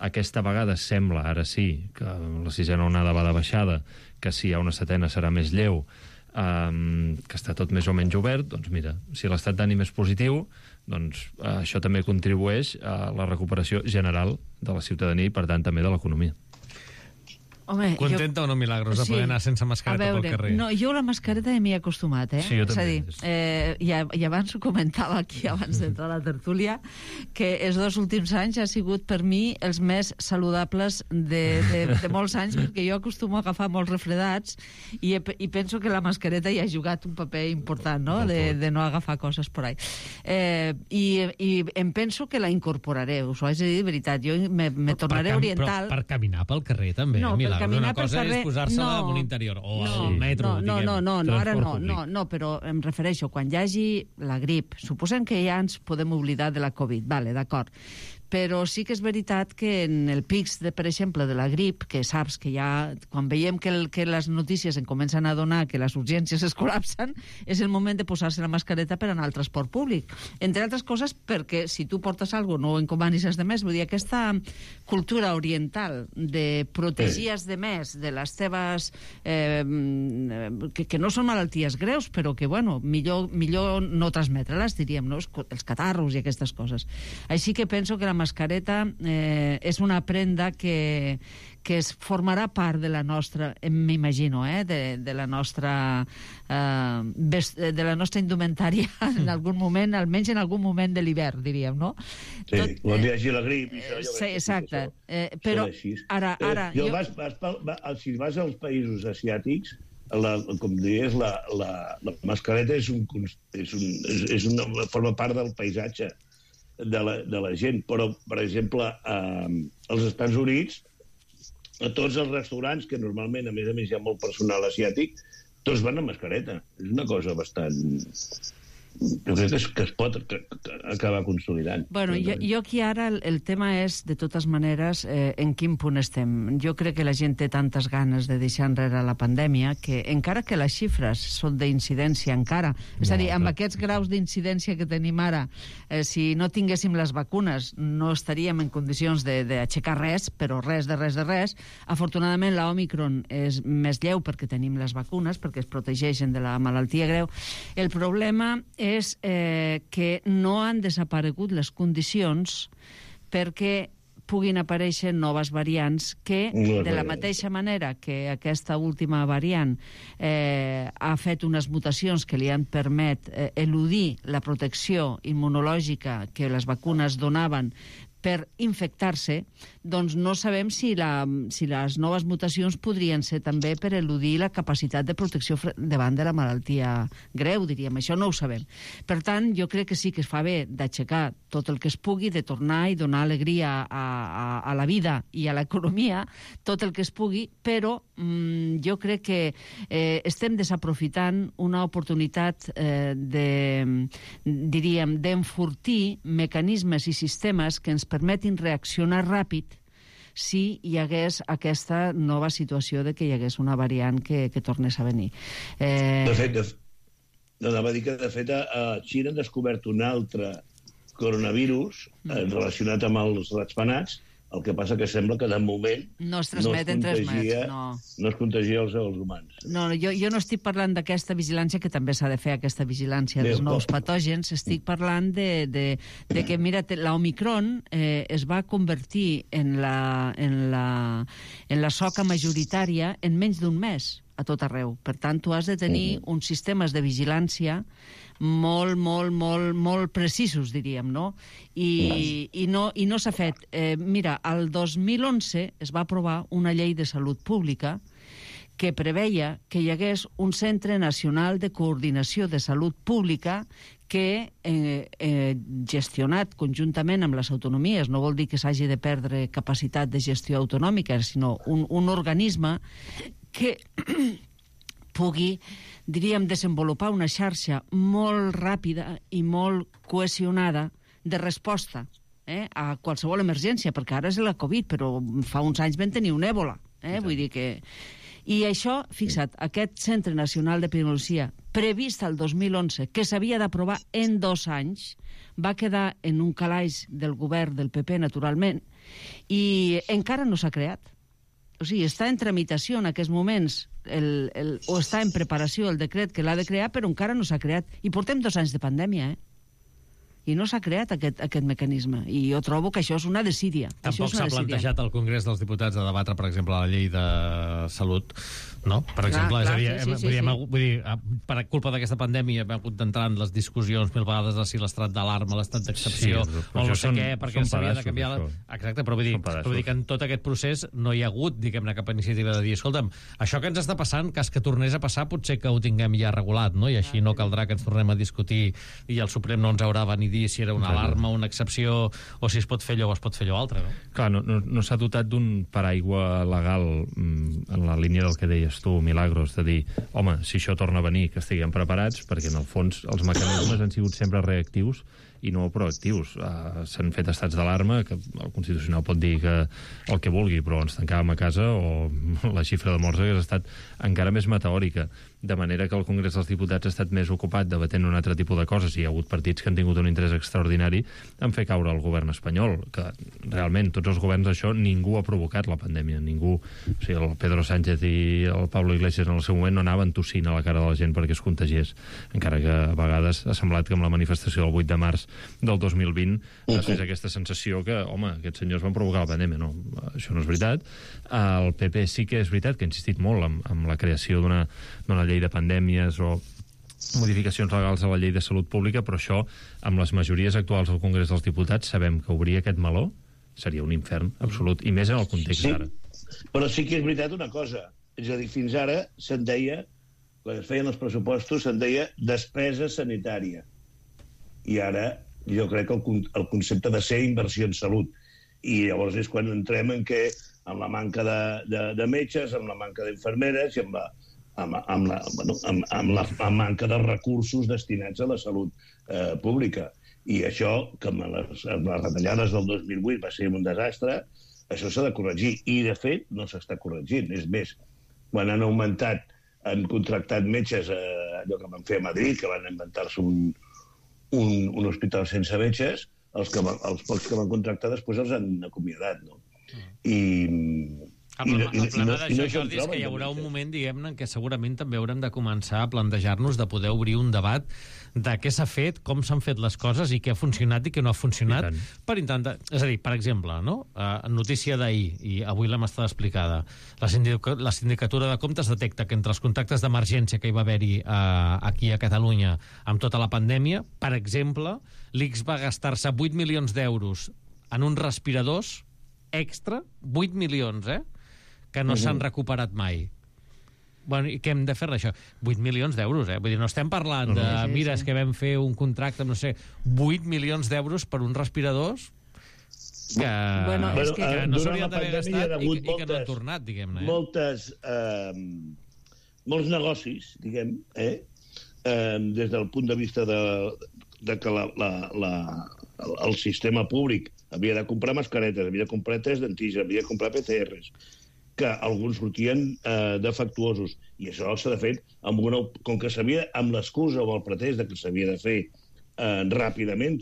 Aquesta vegada sembla, ara sí, que la 6ª onada va de baixada, que si hi ha una 7ª serà més lleu, que està tot més o menys obert, doncs mira, si l'estat d'ànim és positiu, doncs això també contribueix a la recuperació general de la ciutadania i, per tant, també de l'economia. Home, contenta o no, Milagros, de poder anar sense mascareta pel carrer? No, jo la mascareta m'hi he acostumat, Sí, jo també. És a dir, i abans ho comentava aquí, abans d'entrar a la tertúlia, que els 2 últims anys ha sigut per mi els més saludables de molts anys, perquè jo acostumo a agafar molts refredats i penso que la mascareta hi ha jugat un paper important, no?, de no agafar coses por ahí. I em penso que la incorporaré, us ho haig de dir de veritat. Jo me tornaré oriental... Però per caminar pel carrer també, Milagros. Una cosa és posar-se-la en un interior o al metro, diguem. No, però em refereixo, quan hi hagi la grip, suposem que ja ens podem oblidar de la Covid, vale, d'acord, però sí que és veritat que en el pics, per exemple, de la grip, que saps que ja, quan veiem que les notícies en comencen a donar que les urgències es col·lapsen, és el moment de posar-se la mascareta per anar al transport públic. Entre altres coses, perquè si tu portes alguna cosa, no encomanis els demés. Vull dir, aquesta cultura oriental de protegir els demés de les teves... que no són malalties greus, però que, bueno, millor no transmetre-les, diríem, no? Els catarros i aquestes coses. Així que penso que la mascareta és una prenda que es formarà part de la nostra, m'imagino, de la nostra indumentària en algun moment, almenys en algun moment de l'hivern, diríem, no? Sí, quan hi hagi la grip. Sí, exacte. Però ara... Si vas als països asiàtics, com diries, la mascareta forma part del paisatge de la gent, però, per exemple, als Estats Units, a tots els restaurants, que normalment, a més, hi ha molt personal asiàtic, tots van amb mascareta. És una cosa bastant... Jo crec que es pot acabar consolidant. Bueno, jo aquí ara el tema és, de totes maneres, en quin punt estem. Jo crec que la gent té tantes ganes de deixar enrere la pandèmia que, encara que les xifres són d'incidència encara, és a dir, amb aquests graus d'incidència que tenim ara, si no tinguéssim les vacunes no estaríem en condicions d'aixecar res, però res de res. Afortunadament l'Òmicron és més lleu perquè tenim les vacunes, perquè es protegeixen de la malaltia greu. El problema és que no han desaparegut les condicions perquè puguin aparèixer noves variants que, de la mateixa manera que aquesta última variant ha fet unes mutacions que li han permès eludir la protecció immunològica que les vacunes donaven per infectar-se, doncs no sabem si les noves mutacions podrien ser també per eludir la capacitat de protecció davant de la malaltia greu, diríem. Això no ho sabem. Per tant, jo crec que sí que es fa bé d'aixecar tot el que es pugui, de tornar i donar alegria a la vida i a l'economia, tot el que es pugui, però jo crec que estem desaprofitant una oportunitat d'enfortir mecanismes i sistemes que ens permetin reaccionar ràpid si hi hagués aquesta nova situació de que hi hagués una variant que tornés a venir. De anava a dir que, de fet, a Xina han descobert un altre coronavirus relacionat amb els ratpenats. El que passa que sembla que, de moment, no es transmet entre els mets, no es contagia els humans. No, jo no estic parlant d'aquesta vigilància, que també s'ha de fer aquesta vigilància dels nous patògens. Estic parlant de que, mira, l'Omicron es va convertir en la soca majoritària en menys d'un mes a tot arreu. Per tant, tu has de tenir uns sistemes de vigilància molt precisos, diríem, no? I no s'ha fet. Mira, el 2011 es va aprovar una llei de salut pública que preveia que hi hagués un Centre Nacional de Coordinació de Salut Pública que, gestionat conjuntament amb les autonomies, no vol dir que s'hagi de perdre capacitat de gestió autonòmica, sinó un organisme que pugui, diríem, desenvolupar una xarxa molt ràpida i molt cohesionada de resposta a qualsevol emergència, perquè ara és la Covid, però fa uns anys vam tenir un èbola. Vull dir que... I això, fixa't, aquest Centre Nacional d'Epidemiologia, previst el 2011, que s'havia d'aprovar en 2 anys, va quedar en un calaix del govern del PP, naturalment, i encara no s'ha creat. O sigui, està en tramitació en aquests moments, o està en preparació el decret que l'ha de crear, però encara no s'ha creat. I portem 2 anys de pandèmia, i no s'ha creat aquest mecanisme. I jo trobo que això és una desídia. Tampoc s'ha plantejat al Congrés dels Diputats de debatre, per exemple, la llei de salut, no? Per exemple, vull dir, per culpa d'aquesta pandèmia hem hagut d'entrar en les discussions 1000 vegades de si l'estat d'alarma, l'estat d'excepció, o no sé què, perquè s'havia de canviar... Exacte, però vull dir que en tot aquest procés no hi ha hagut, diguem-ne, cap iniciativa de dir, escolta'm, això que ens està passant, cas que tornés a passar, potser que ho tinguem ja regulat, no? I així no caldrà que ens tornem a discutir i el Suprem no ens haurà venir dir si era una alarma, una excepció, o si es pot fer allò o es pot fer allò altre, no? Clar, no s'ha dotat d'un paraigua legal en la línia del que deies tu, Milagros, de dir, home, si això torna a venir, que estiguem preparats, perquè en el fons els mecanismes han sigut sempre reactius i no proactius. S'han fet estats d'alarma, que el Constitucional pot dir que el que vulgui, però ens tancàvem a casa, o la xifra de morts hagués estat encara més meteòrica, de manera que el Congrés dels Diputats ha estat més ocupat debatent un altre tipus de coses, i hi ha hagut partits que han tingut un interès extraordinari en fer caure el govern espanyol, que realment tots els governs això ningú ha provocat la pandèmia, ningú. O sigui, el Pedro Sánchez i el Pablo Iglesias en el seu moment no anaven tossint a la cara de la gent perquè es contagiés, encara que a vegades ha semblat que amb la manifestació del 8 de març del 2020 es fes aquesta sensació que, home, aquests senyors van provocar la pandèmia. No, això no és veritat. El PP sí que és veritat que ha insistit molt amb la creació d'una llei de pandèmies o modificacions legals a la llei de salut pública, però això, amb les majories actuals al Congrés dels Diputats, sabem que obrir aquest meló seria un infern absolut, i més en el context d'ara. Però sí que és veritat una cosa, és a dir, fins ara se'n deia, quan es feien els pressupostos, se'n deia despesa sanitària. I ara jo crec que el concepte de ser inversió en salut. I llavors és quan entrem en què, amb la manca de metges, amb la manca d'infermeres i amb la manca de recursos destinats a la salut pública. I això, que amb les retallades del 2008 va ser un desastre, això s'ha de corregir. I, de fet, no s'està corregint. És més, quan han contractat metges, allò que van fer a Madrid, que van inventar-se un hospital sense metges, els pocs que van contractar després els han acomiadat, no? El problema d'això, Jordi, és que hi haurà un moment, diguem-ne, en què segurament també haurem de començar a plantejar-nos de poder obrir un debat de què s'ha fet, com s'han fet les coses i què ha funcionat i què no ha funcionat, per intentar... És a dir, per exemple, no? Notícia d'ahir, i avui l'hem estat explicada, la Sindicatura de Comptes detecta que entre els contactes d'emergència que hi va haver-hi aquí a Catalunya amb tota la pandèmia, per exemple, l'ICS va gastar-se 8 milions d'euros en uns respiradors extra, 8 milions, que no s'han recuperat mai. Bueno, i què hem de fer d'això? 8 milions d'euros, Vull dir, no estem parlant de... Mira, és que vam fer un contracte, no sé, 8 milions d'euros per uns respiradors que no s'haurien d'haver gastat i que no han tornat, diguem-ne. Molts negocis, diguem, des del punt de vista de que el sistema públic havia de comprar mascaretes, havia de comprar tests d'antígens, havia de comprar PCRs, que alguns sortien defectuosos. I això s'ha de fer com que s'havia, amb l'excusa o el pretès que s'havia de fer ràpidament,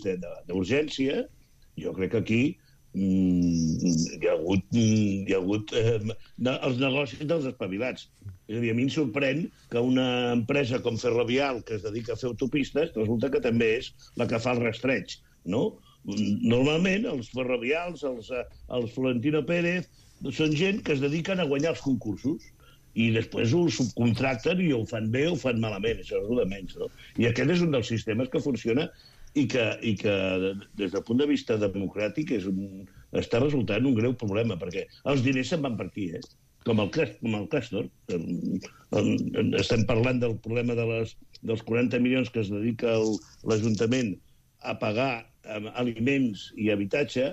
d'urgència, jo crec que aquí hi ha hagut els negocis dels espavilats. És a dir, a mi em sorprèn que una empresa com Ferrovial, que es dedica a fer autopistes, resulta que també és la que fa el rastreig, no? Normalment, els ferrovials, els Florentino Pérez, són gent que es dediquen a guanyar els concursos i després ho subcontracten i ho fan bé o ho fan malament, això és el de menys, no? I aquest és un dels sistemes que funciona i que des del punt de vista democràtic està resultant un greu problema, perquè els diners se'n van per aquí, com el Castor. Estem parlant del problema dels 40 milions que es dedica l'Ajuntament a pagar aliments i habitatge,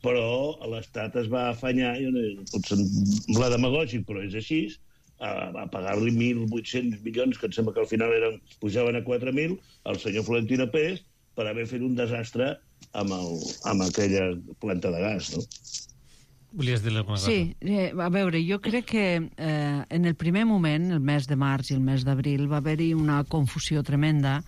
però l'Estat es va afanyar, pot semblar demagògic, però és així, a pagar-li 1.800 milions, que em sembla que al final pujaven a 4.000, al senyor Florentino Pérez, per haver fet un desastre amb aquella planta de gas, no? Volies dir-li alguna cosa? Sí, a veure, jo crec que en el primer moment, el mes de març i el mes d'abril, va haver-hi una confusió tremenda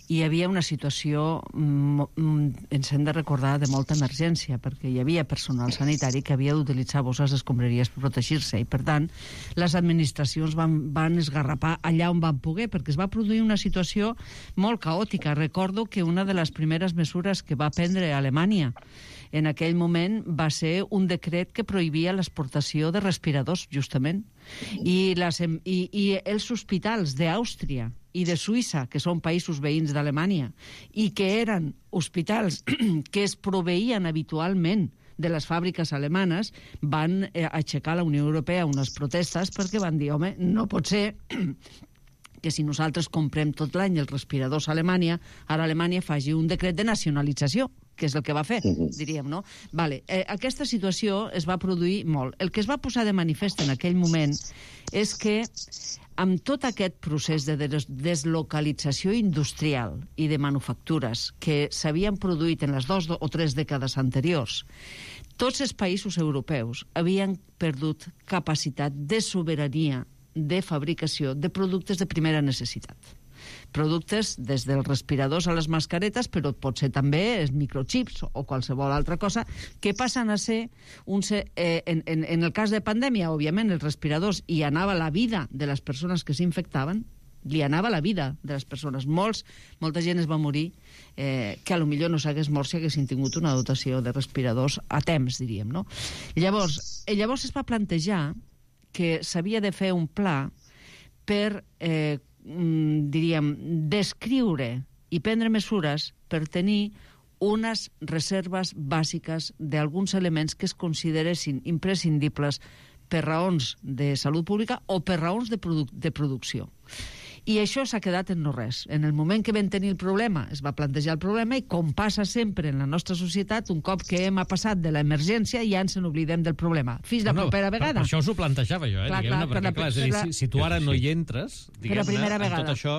i hi havia una situació, ens hem de recordar, de molta emergència, perquè hi havia personal sanitari que havia d'utilitzar bosses d'escombraries per protegir-se i, per tant, les administracions van esgarrapar allà on van poder, perquè es va produir una situació molt caòtica. Recordo que una de les primeres mesures que va prendre Alemanya en aquell moment va ser un decret que prohibia l'exportació de respiradors, justament. I els hospitals d'Àustria i de Suïssa, que són països veïns d'Alemanya, i que eren hospitals que es proveïen habitualment de les fàbriques alemanes, van aixecar a la Unió Europea unes protestes perquè van dir, home, no pot ser que si nosaltres comprem tot l'any els respiradors a Alemanya, ara Alemanya faci un decret de nacionalització, que és el que va fer, diríem, no? Vale, aquesta situació es va produir molt. El que es va posar de manifest en aquell moment és que amb tot aquest procés de deslocalització industrial i de manufactures que s'havien produït en les 2 o 3 dècades anteriors, tots els països europeus havien perdut capacitat de sobirania de fabricació de productes de primera necessitat. Productes des dels respiradors a les mascaretes, però pot ser també els microchips o qualsevol altra cosa, que passen a ser, en el cas de pandèmia, òbviament, els respiradors, hi anava la vida de les persones que s'infectaven, li anava la vida de les persones. Molta gent es va morir que potser no s'hagués mort si haguessin tingut una dotació de respiradors a temps, diríem, no? Llavors es va plantejar que s'havia de fer un pla per, diríem, descriure i prendre mesures per tenir unes reserves bàsiques d'alguns elements que es consideressin imprescindibles per raons de salut pública o per raons de producció. I això s'ha quedat en no res. En el moment que vam tenir el problema, es va plantejar el problema i, com passa sempre en la nostra societat, un cop que hem passat de l'emergència ja ens n'oblidem del problema. Fins la propera vegada. Per això us ho plantejava jo, si tu ara no hi entres, diguem-ne, en tot això,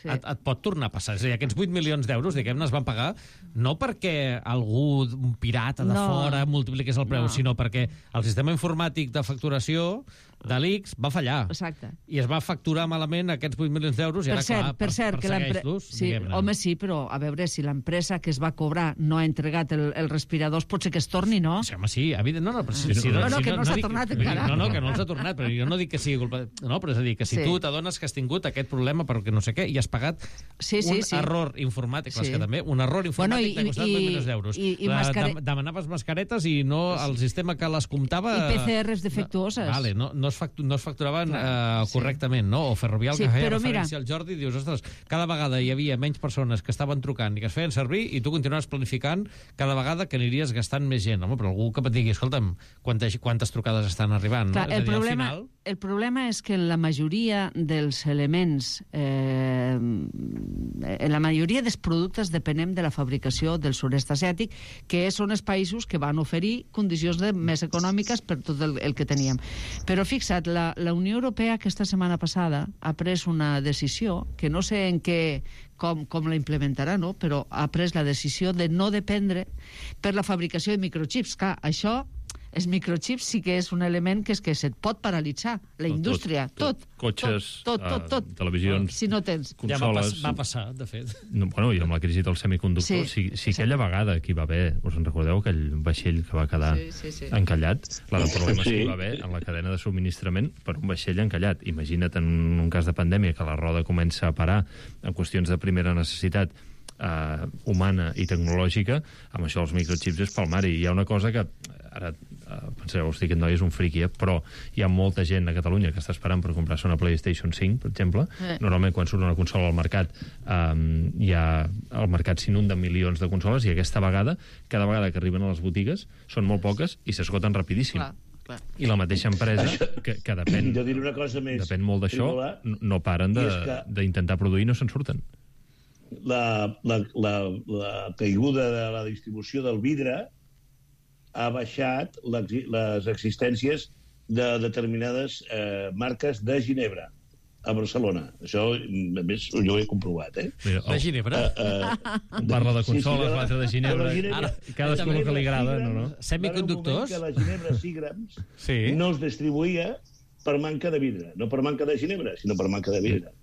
et pot tornar a passar. És a dir, aquests 8 milions d'euros, diguem-ne, es van pagar no perquè algú, un pirata de fora, multipliqués el preu, sinó perquè el sistema informàtic de facturació de l'ICS va fallar. Exacte. I es va facturar malament aquests 8 milions d'euros i ara, clar, persegueix-los. Sí, home, sí, però a veure, si l'empresa que es va cobrar no ha entregat els respiradors, pot ser que es torni, no? Sí, home, sí, evident. No, que no s'ha tornat encara. No, que no els ha tornat, però jo no dic que sigui culpa... No, però és a dir, que si tu t'adones que has tingut aquest problema perquè no sé què i has pagat un error informàtic, que també, un error informàtic t'ha costat 8 milions d'euros. Demanaves mascaretes i no el sistema que les comptava... I PCRs defectuoses. Vale, no es facturaven correctament, no? O Ferrovial, que feia referència al Jordi, dius, ostres, cada vegada hi havia menys persones que estaven trucant i que es feien servir i tu continuaves planificant cada vegada que aniries gastant més gent. Home, però algú que et digui, escolta'm, quantes trucades estan arribant? Clar, el problema és que en la majoria dels elements, en la majoria dels productes depenem de la fabricació del sud-est asiàtic, que són els països que van oferir condicions més econòmiques per tot el que teníem. Però fixa't, la Unió Europea aquesta setmana passada ha pres una decisió, que no sé en què, com la implementarà, no? Però ha pres la decisió de no dependre per la fabricació de microchips. Clar, això els microchips sí que és un element que se't pot paralitzar. La indústria, tot. Cotxes, tot. televisions, si no tens. consoles... Ja va passar, de fet. No, bueno, i amb la crisi del semiconductor, sí aquella vegada que hi va haver, us en recordeu, aquell vaixell que va quedar encallat? Clar, el problema és que hi va haver en la cadena de subministrament per un vaixell encallat. Imagina't en un cas de pandèmia que la roda comença a parar en qüestions de primera necessitat humana i tecnològica, amb això els microchips és pel mar. I hi ha una cosa que ara penseu, hosti, aquest noi és un friqui, però hi ha molta gent a Catalunya que està esperant per comprar-se una PlayStation 5, per exemple. Normalment quan surt una consola al mercat el mercat s'inunda amb milions de consoles, i aquesta vegada, cada vegada que arriben a les botigues són molt poques i s'esgoten rapidíssim. Clar. I la mateixa empresa, que depèn, jo diré una cosa més, depèn molt d'això, no paren d'intentar produir i no se'n surten. La caiguda de la distribució del vidre ha baixat les existències de determinades marques de Ginebra a Barcelona. Això, a més, jo ho he comprovat, Mira, de Ginebra? Parla de consoles, l'altre de Ginebra. Cadascú el que li agrada, no? Semiconductors? Que la Ginebra Seagrams no es distribuïa per manca de vidre. No per manca de Ginebra, sinó per manca de vidre.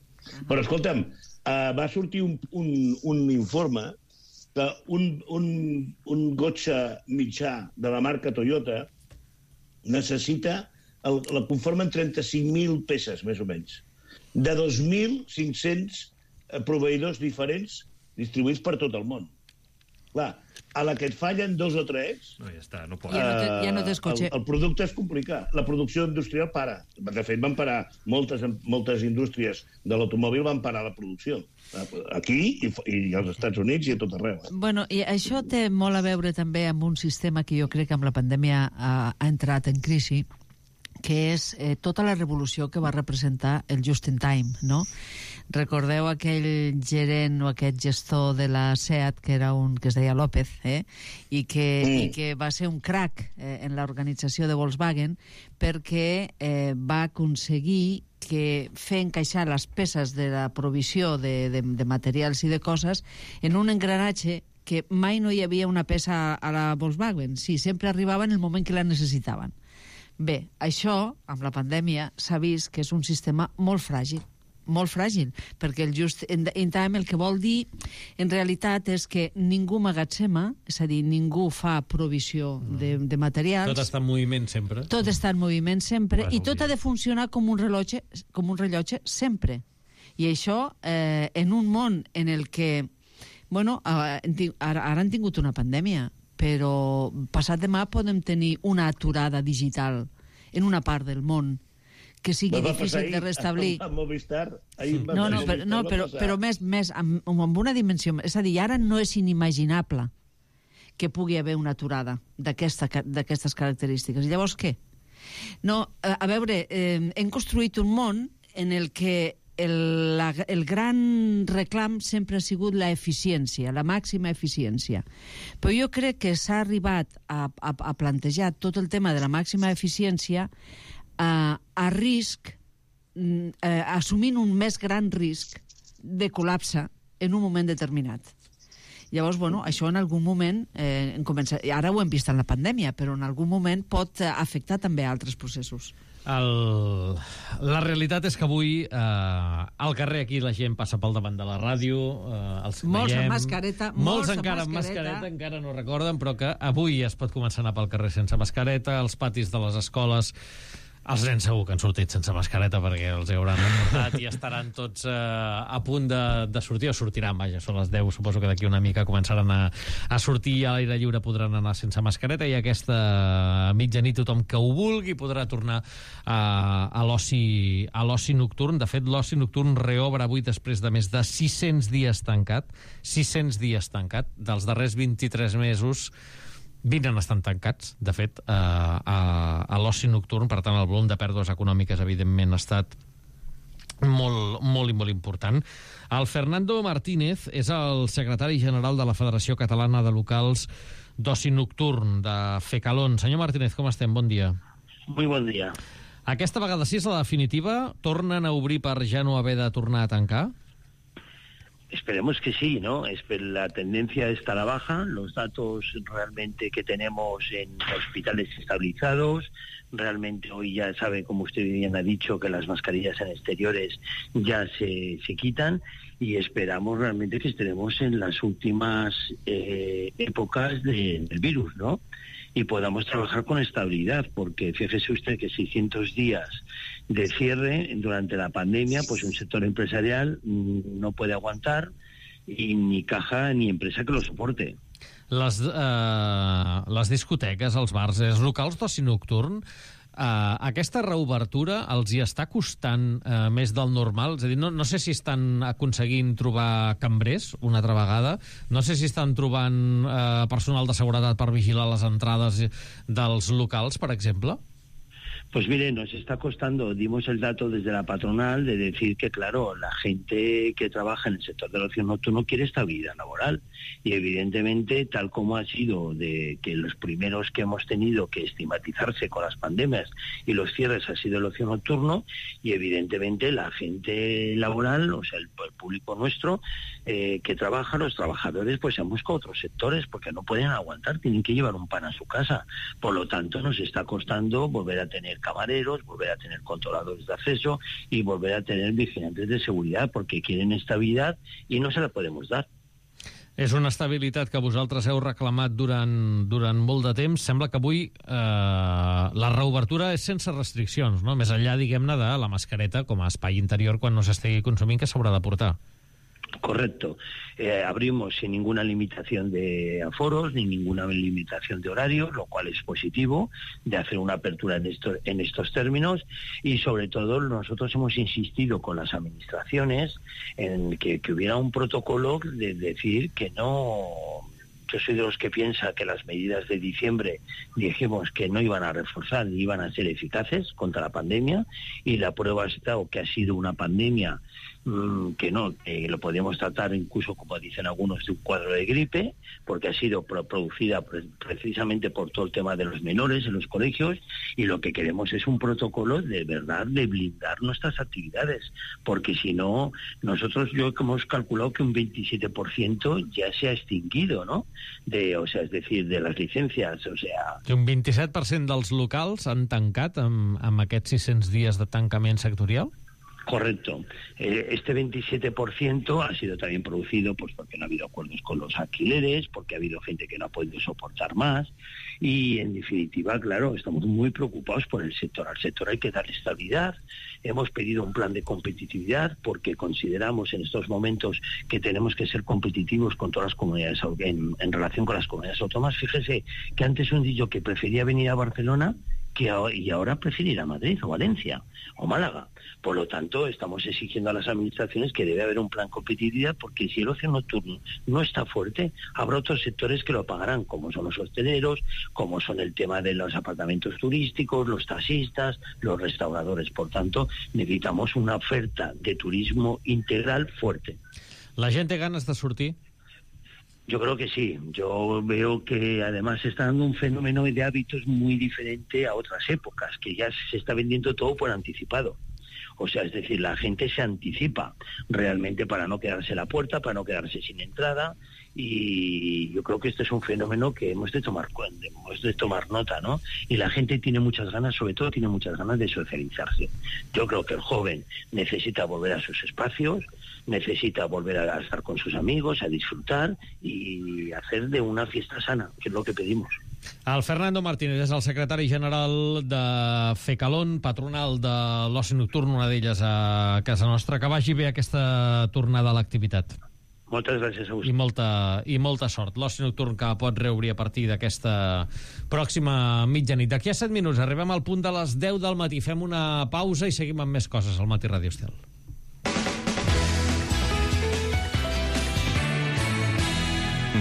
Però, escolta'm, va sortir un informe que un cotxe mitjà de la marca Toyota necessita, la conformen 35.000 peces, més o menys, de 2.500 proveïdors diferents distribuïts per tot el món. Clar, a la que et fallen 2 o 3... No, ja està, no pot. Ja no tens cotxe. El producte és complicat. La producció industrial para. De fet, van parar moltes indústries de l'automòbil, van parar la producció. Aquí i als Estats Units i a tot arreu. Bueno, i això té molt a veure també amb un sistema que jo crec que amb la pandèmia ha entrat en crisi, que és tota la revolució que va representar el just in time, no? Recordeu aquell gerent o aquest gestor de la SEAT que es deia López, i que va ser un crac en l'organització de Volkswagen perquè va aconseguir fer encaixar les peces de la provisió de materials i de coses en un engranatge que mai no hi havia una peça a la Volkswagen. Sí, sempre arribava en el moment que la necessitaven. Bé, això, amb la pandèmia, s'ha vist que és un sistema molt fràgil, perquè el just in time el que vol dir, en realitat, és que ningú magatzema, és a dir, ningú fa provisió de materials. Tot està en moviment sempre. Tot està en moviment sempre, i tot ha de funcionar com un rellotge sempre. I això, en un món en el que, bueno, ara han tingut una pandèmia, però passat demà podem tenir una aturada digital en una part del món que sigui difícil de restablir. Però més amb una dimensió, és a dir, ara no és inimaginable que pugui haver una aturada d'aquestes característiques. I llavors què? No, a veure, hem construït un món en el que el gran reclam sempre ha sigut la eficiència, la màxima eficiència. Però jo crec que s'ha arribat a plantejar tot el tema de la màxima eficiència a risc, assumint un més gran risc de col·lapse en un moment determinat. Llavors, bueno, això en algun moment, ara ho hem vist en la pandèmia, però en algun moment pot afectar també altres processos. La realitat és que avui al carrer aquí la gent passa pel davant de la ràdio, molts amb mascareta, molts encara amb mascareta, encara no recorden, però que avui es pot començar a anar pel carrer sense mascareta, als patis de les escoles. Els nens segur que han sortit sense mascareta perquè els hauran emportat i estaran tots a punt de sortir, o sortiran, vaja, són les 10, suposo que d'aquí una mica començaran a sortir i a l'aire lliure podran anar sense mascareta, i aquesta mitjanit tothom que ho vulgui podrà tornar a l'oci nocturn. De fet, l'oci nocturn reobre avui després de més de 600 dies tancat. 600 dies tancat. Dels darrers 23 mesos, 20 han estat tancats, de fet, a l'oci nocturn. Per tant, el volum de pèrdues econòmiques, evidentment, ha estat molt, molt i molt important. El Fernando Martínez és el secretari general de la Federació Catalana de Locals d'Oci Nocturn, de FECALON. Senyor Martínez, com estem? Bon dia. Muy bon dia. Aquesta vegada sí és la definitiva? Tornen a obrir per ja no haver de tornar a tancar? Esperemos que sí, ¿no? La tendencia está a la baja, los datos realmente que tenemos en hospitales estabilizados, realmente hoy ya sabe, como usted bien ha dicho, que las mascarillas en exteriores ya se quitan y esperamos realmente que estaremos en las últimas épocas del virus, ¿no? Y podamos trabajar con estabilidad, porque fíjese usted que 600 días de cierre durante la pandemia, pues un sector empresarial no puede aguantar, y ni caja ni empresa que lo soporte. Les discoteques, els bars, els locals d'oci nocturn, aquesta reobertura els hi està costant més del normal? És a dir, no sé si estan aconseguint trobar cambrers una altra vegada, no sé si estan trobant personal de seguretat per vigilar les entrades dels locals, per exemple? Pues mire, nos está costando, dimos el dato desde la patronal de decir que, claro, la gente que trabaja en el sector del ocio nocturno quiere estabilidad laboral. Y evidentemente, tal como ha sido de que los primeros que hemos tenido que estigmatizarse con las pandemias y los cierres ha sido el ocio nocturno, y evidentemente la gente laboral, o sea, el público nuestro que trabaja, los trabajadores, pues se han buscado otros sectores porque no pueden aguantar, tienen que llevar un pan a su casa. Por lo tanto, nos está costando volver a tener camareros, volver a tener controladores de acceso y volver a tener vigilantes de seguridad, porque quieren estabilidad y no se la podemos dar. És una estabilitat que vosaltres heu reclamat durant molt de temps. Sembla que avui la reobertura és sense restriccions, no? Més enllà, diguem-ne, de la mascareta com a espai interior quan no s'estigui consumint, que s'haurà de portar. Correcto. Abrimos sin ninguna limitación de aforos ni ninguna limitación de horarios, lo cual es positivo de hacer una apertura en estos términos, y sobre todo nosotros hemos insistido con las administraciones en que hubiera un protocolo de decir que no. Yo soy de los que piensa que las medidas de diciembre dijimos que no iban a reforzar ni iban a ser eficaces contra la pandemia, y la prueba está que ha sido una pandemia que no, lo podemos tratar incluso, como dicen algunos, de un cuadro de gripe, porque ha sido producida precisamente por todo el tema de los menores en los colegios, y lo que queremos es un protocolo de verdad de blindar nuestras actividades, porque si no, nosotros hemos calculado que un 27% ya se ha extinguido, ¿no? O sea, es decir, de las licencias, o sea... Un 27% dels locals han tancat amb aquests 600 dies de tancament sectorial? Correcto. Este 27% ha sido también producido pues porque no ha habido acuerdos con los alquileres, porque ha habido gente que no ha podido soportar más, y en definitiva, claro, estamos muy preocupados por el sector. Al sector hay que darle estabilidad. Hemos pedido un plan de competitividad porque consideramos en estos momentos que tenemos que ser competitivos con todas las comunidades en relación con las comunidades autónomas. Fíjese que antes un dicho que prefería venir a Barcelona y ahora prefiere ir a Madrid o Valencia o Málaga. Por lo tanto, estamos exigiendo a las administraciones que debe haber un plan de competitividad, porque si el ocio nocturno no está fuerte, habrá otros sectores que lo pagarán, como son los hosteleros, como son el tema de los apartamentos turísticos, los taxistas, los restauradores. Por tanto, necesitamos una oferta de turismo integral fuerte. La gent té ganes de sortir? Yo creo que sí. Yo veo que además se está dando un fenómeno de hábitos muy diferente a otras épocas, que ya se está vendiendo todo por anticipado. O sea, es decir, la gente se anticipa realmente para no quedarse a la puerta, para no quedarse sin entrada, y yo creo que este es un fenómeno que hemos de tomar nota, ¿no? Y la gente tiene muchas ganas, sobre todo tiene muchas ganas de socializarse. Yo creo que el joven necesita volver a sus espacios, necesita volver a estar con sus amigos, a disfrutar y hacer de una fiesta sana, que es lo que pedimos. El Fernando Martínez és el secretari general de FECALON, patronal de l'oci nocturn, una d'elles a casa nostra. Que vagi bé aquesta tornada a l'activitat. Moltes gràcies a vostè. I molta sort. L'oci nocturn que pot reobrir a partir d'aquesta pròxima mitjanit. D'aquí a 7 minuts arribem al punt de les 10 del matí. Fem una pausa i seguim amb més coses al Matí Ràdio Estel.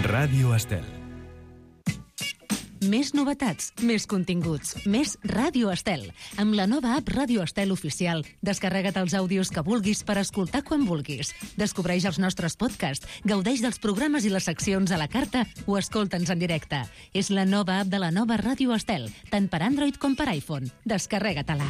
Ràdio Estel. Més novetats, més continguts, més Ràdio Estel. Amb la nova app Ràdio Estel Oficial, descarrega't els àudios que vulguis per escoltar quan vulguis. Descobreix els nostres podcasts, gaudeix dels programes i les seccions a la carta o escolta'ns en directe. És la nova app de la nova Ràdio Estel, tant per Android com per iPhone. Descarrega-te-la.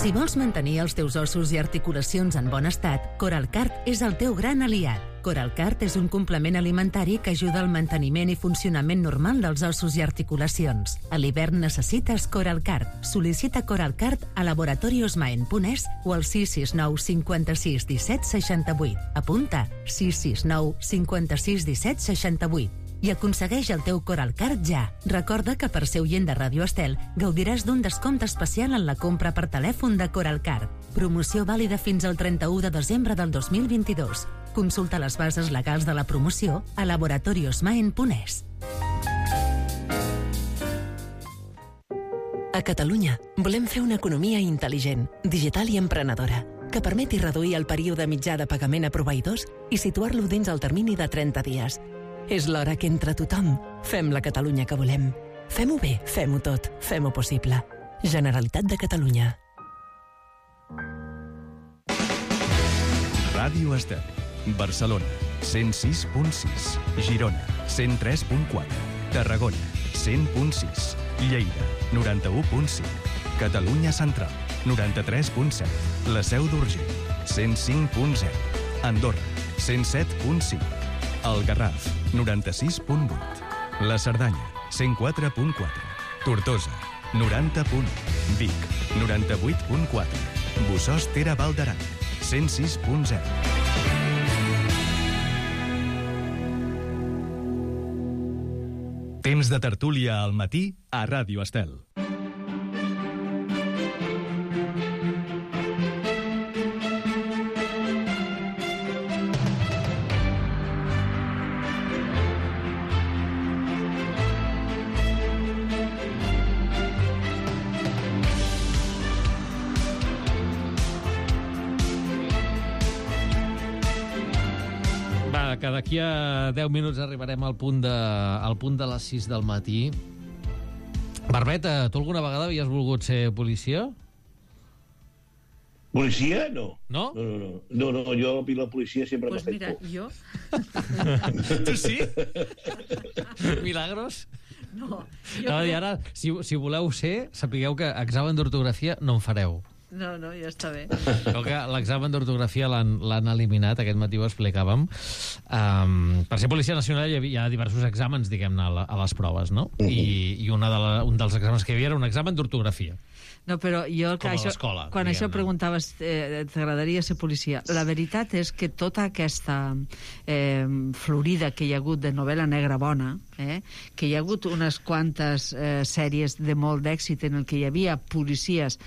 Si vols mantenir els teus ossos i articulacions en bon estat, Coralcart és el teu gran aliat. Coralcart és un complement alimentari que ajuda al manteniment i funcionament normal dels ossos i articulacions. A l'hivern necessites Coralcart. Sol·licita Coralcart a laboratoriosmaen.es o al 669 56 17 68. Apunta 669 56 17 68 i aconsegueix el teu Coralcart ja. Recorda que per ser oient de Ràdio Estel gaudiràs d'un descompte especial en la compra per telèfon de Coralcart. Promoció vàlida fins al 31 de desembre del 2022. Consulta les bases legals de la promoció a laboratoriosmaen.es. A Catalunya volem fer una economia intel·ligent, digital i emprenedora, que permeti reduir el període mitjà de pagament a proveïdors i situar-lo dins el termini de 30 dies. És l'hora que entre tothom fem la Catalunya que volem. Fem-ho bé, fem-ho tot, fem-ho possible. Generalitat de Catalunya. Ràdio Estel. Barcelona, 106.6. Girona, 103.4. Tarragona, 100.6. Lleida, 91.5. Catalunya Central, 93.7. La Seu d'Urgell, 105.0. Andorra, 107.5. El Garraf, 96.8. La Cerdanya, 104.4. Tortosa, 90.1. Vic, 98.4. Bossòst Tere Val d'Aran, 106.0. Temps de tertúlia al matí a Ràdio Estel. Que d'aquí a 10 minuts arribarem al punt de les 6 del matí. Barbeta, tu alguna vegada havies volgut ser policia? Policia? No. No? No, jo a la policia sempre m'ha fet mira, por. jo... Tu sí? Milagros? No. I ara, si voleu ser, sapigueu que examen d'ortografia no en fareu. No, ja està bé. Que l'examen d'ortografia l'han eliminat, aquest matí ho explicàvem. Per ser policia nacional hi ha diversos exàmens, diguem-ne, a les proves, no? I un dels exàmens que hi havia era un examen d'ortografia. No, però jo... Com a l'escola, quan diguem-ne. això preguntaves, t'agradaria ser policia? La veritat és que tota aquesta florida que hi ha hagut de novel·la negra bona, que hi ha hagut unes quantes sèries de molt d'èxit en el que hi havia policies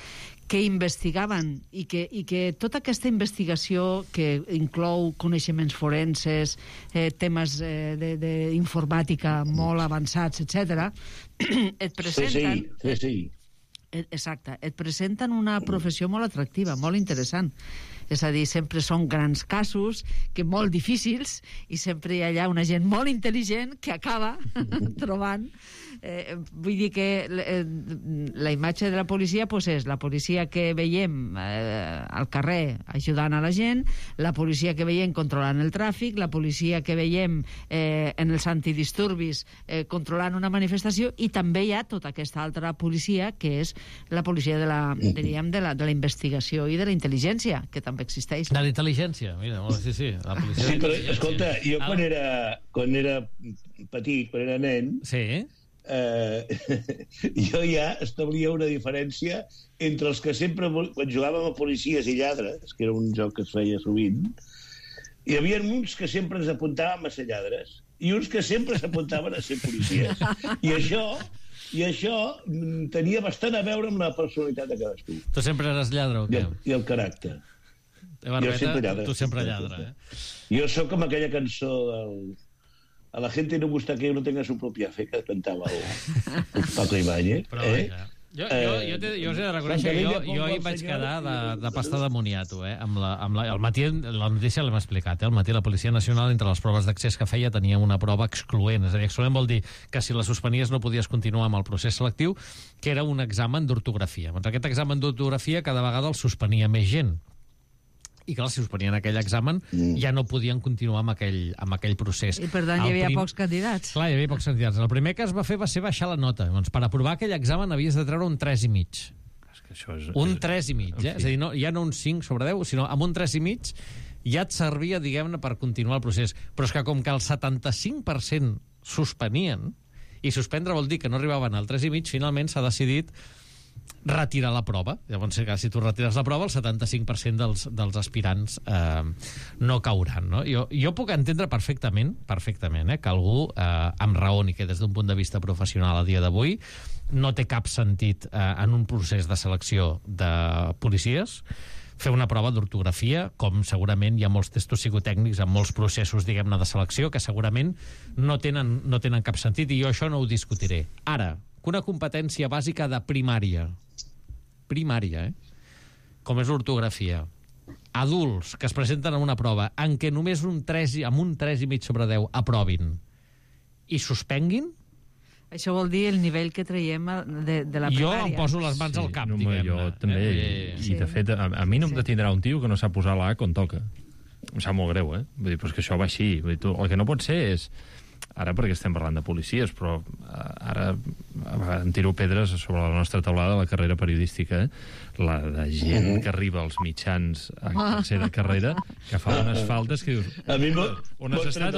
que investigaven i que tota aquesta investigació que inclou coneixements forenses, temes d'informàtica molt avançats, etc., et presenten... Sí. Exacte, et presenten una professió molt atractiva, molt interessant. És a dir, sempre són grans casos, que molt difícils, i sempre hi ha allà una gent molt intel·ligent que acaba trobant... vull dir que la imatge de la policia és la policia que veiem al carrer ajudant a la gent, la policia que veiem controlant el tràfic, la policia que veiem en els antidisturbis controlant una manifestació, i també hi ha tota aquesta altra policia que és la policia de la investigació i de la intel·ligència, que també existeix. De la intel·ligència, mira, sí, la policia. Sí, però escolta, jo quan era petit, quan era nen, sí, jo ja establia una diferència entre els que sempre, quan jugàvem a policies i lladres, que era un joc que es feia sovint, hi havia uns que sempre ens apuntàvem a ser lladres i uns que sempre s'apuntaven a ser policies. I això tenia bastant a veure amb la personalitat de cadascú. Tu sempre eres lladre o què? I el caràcter. Barbeta, jo sempre lladre. Tu sempre lladre, Jo sóc com aquella cançó del... A la gente no gusta que uno tenga su propia fe, que cantava el Paco Ibáñez. Però, jo us he de reconèixer que jo hi vaig quedar de pasta de moniato, al matí, la notícia l'hem explicat, al matí la Policia Nacional, entre les proves d'accés que feia, tenia una prova excloent. És a dir, excloent vol dir que si la suspenies no podies continuar amb el procés selectiu, que era un examen d'ortografia. Doncs aquest examen d'ortografia cada vegada el suspenia més gent. I clar, si suspenien aquell examen ja no podien continuar amb aquell procés. I per tant hi havia pocs candidats. Clar, hi havia pocs candidats. El primer que es va fer va ser baixar la nota. Doncs per aprovar aquell examen havies de treure un 3,5. Un 3,5, eh? És a dir, ja no un 5 sobre 10, sinó amb un 3,5 ja et servia, diguem-ne, per continuar el procés. Però és que com que el 75% suspenien, i suspendre vol dir que no arribaven al 3,5, finalment s'ha decidit retirar la prova. Llavors, si tu retires la prova, el 75% dels aspirants no cauran. No? Jo puc entendre perfectament que algú amb raoni, que des d'un punt de vista professional a dia d'avui no té cap sentit en un procés de selecció de policies fer una prova d'ortografia, com segurament hi ha molts testos psicotècnics en molts processos, diguem-ne, de selecció, que segurament no tenen cap sentit, i jo això no ho discutiré. Ara, que una competència bàsica de primària, com és l'ortografia, adults que es presenten a una prova en què només amb un 3,5 sobre 10 aprovin i suspenguin, això vol dir el nivell que traiem de la primària. Jo em poso les mans al cap, diguem-ne. Jo també, i de fet, a mi no em detindrà un tio que no sap posar la A quan toca. Em sap molt greu, Vull dir, però és que això va així. Vull dir, el que no pot ser és... Ara perquè estem parlant de policies, però ara em tiro pedres sobre la nostra taulada de la carrera periodística, la de gent que arriba als mitjans a tercera carrera, que fa unes faltes que dius... On has estat?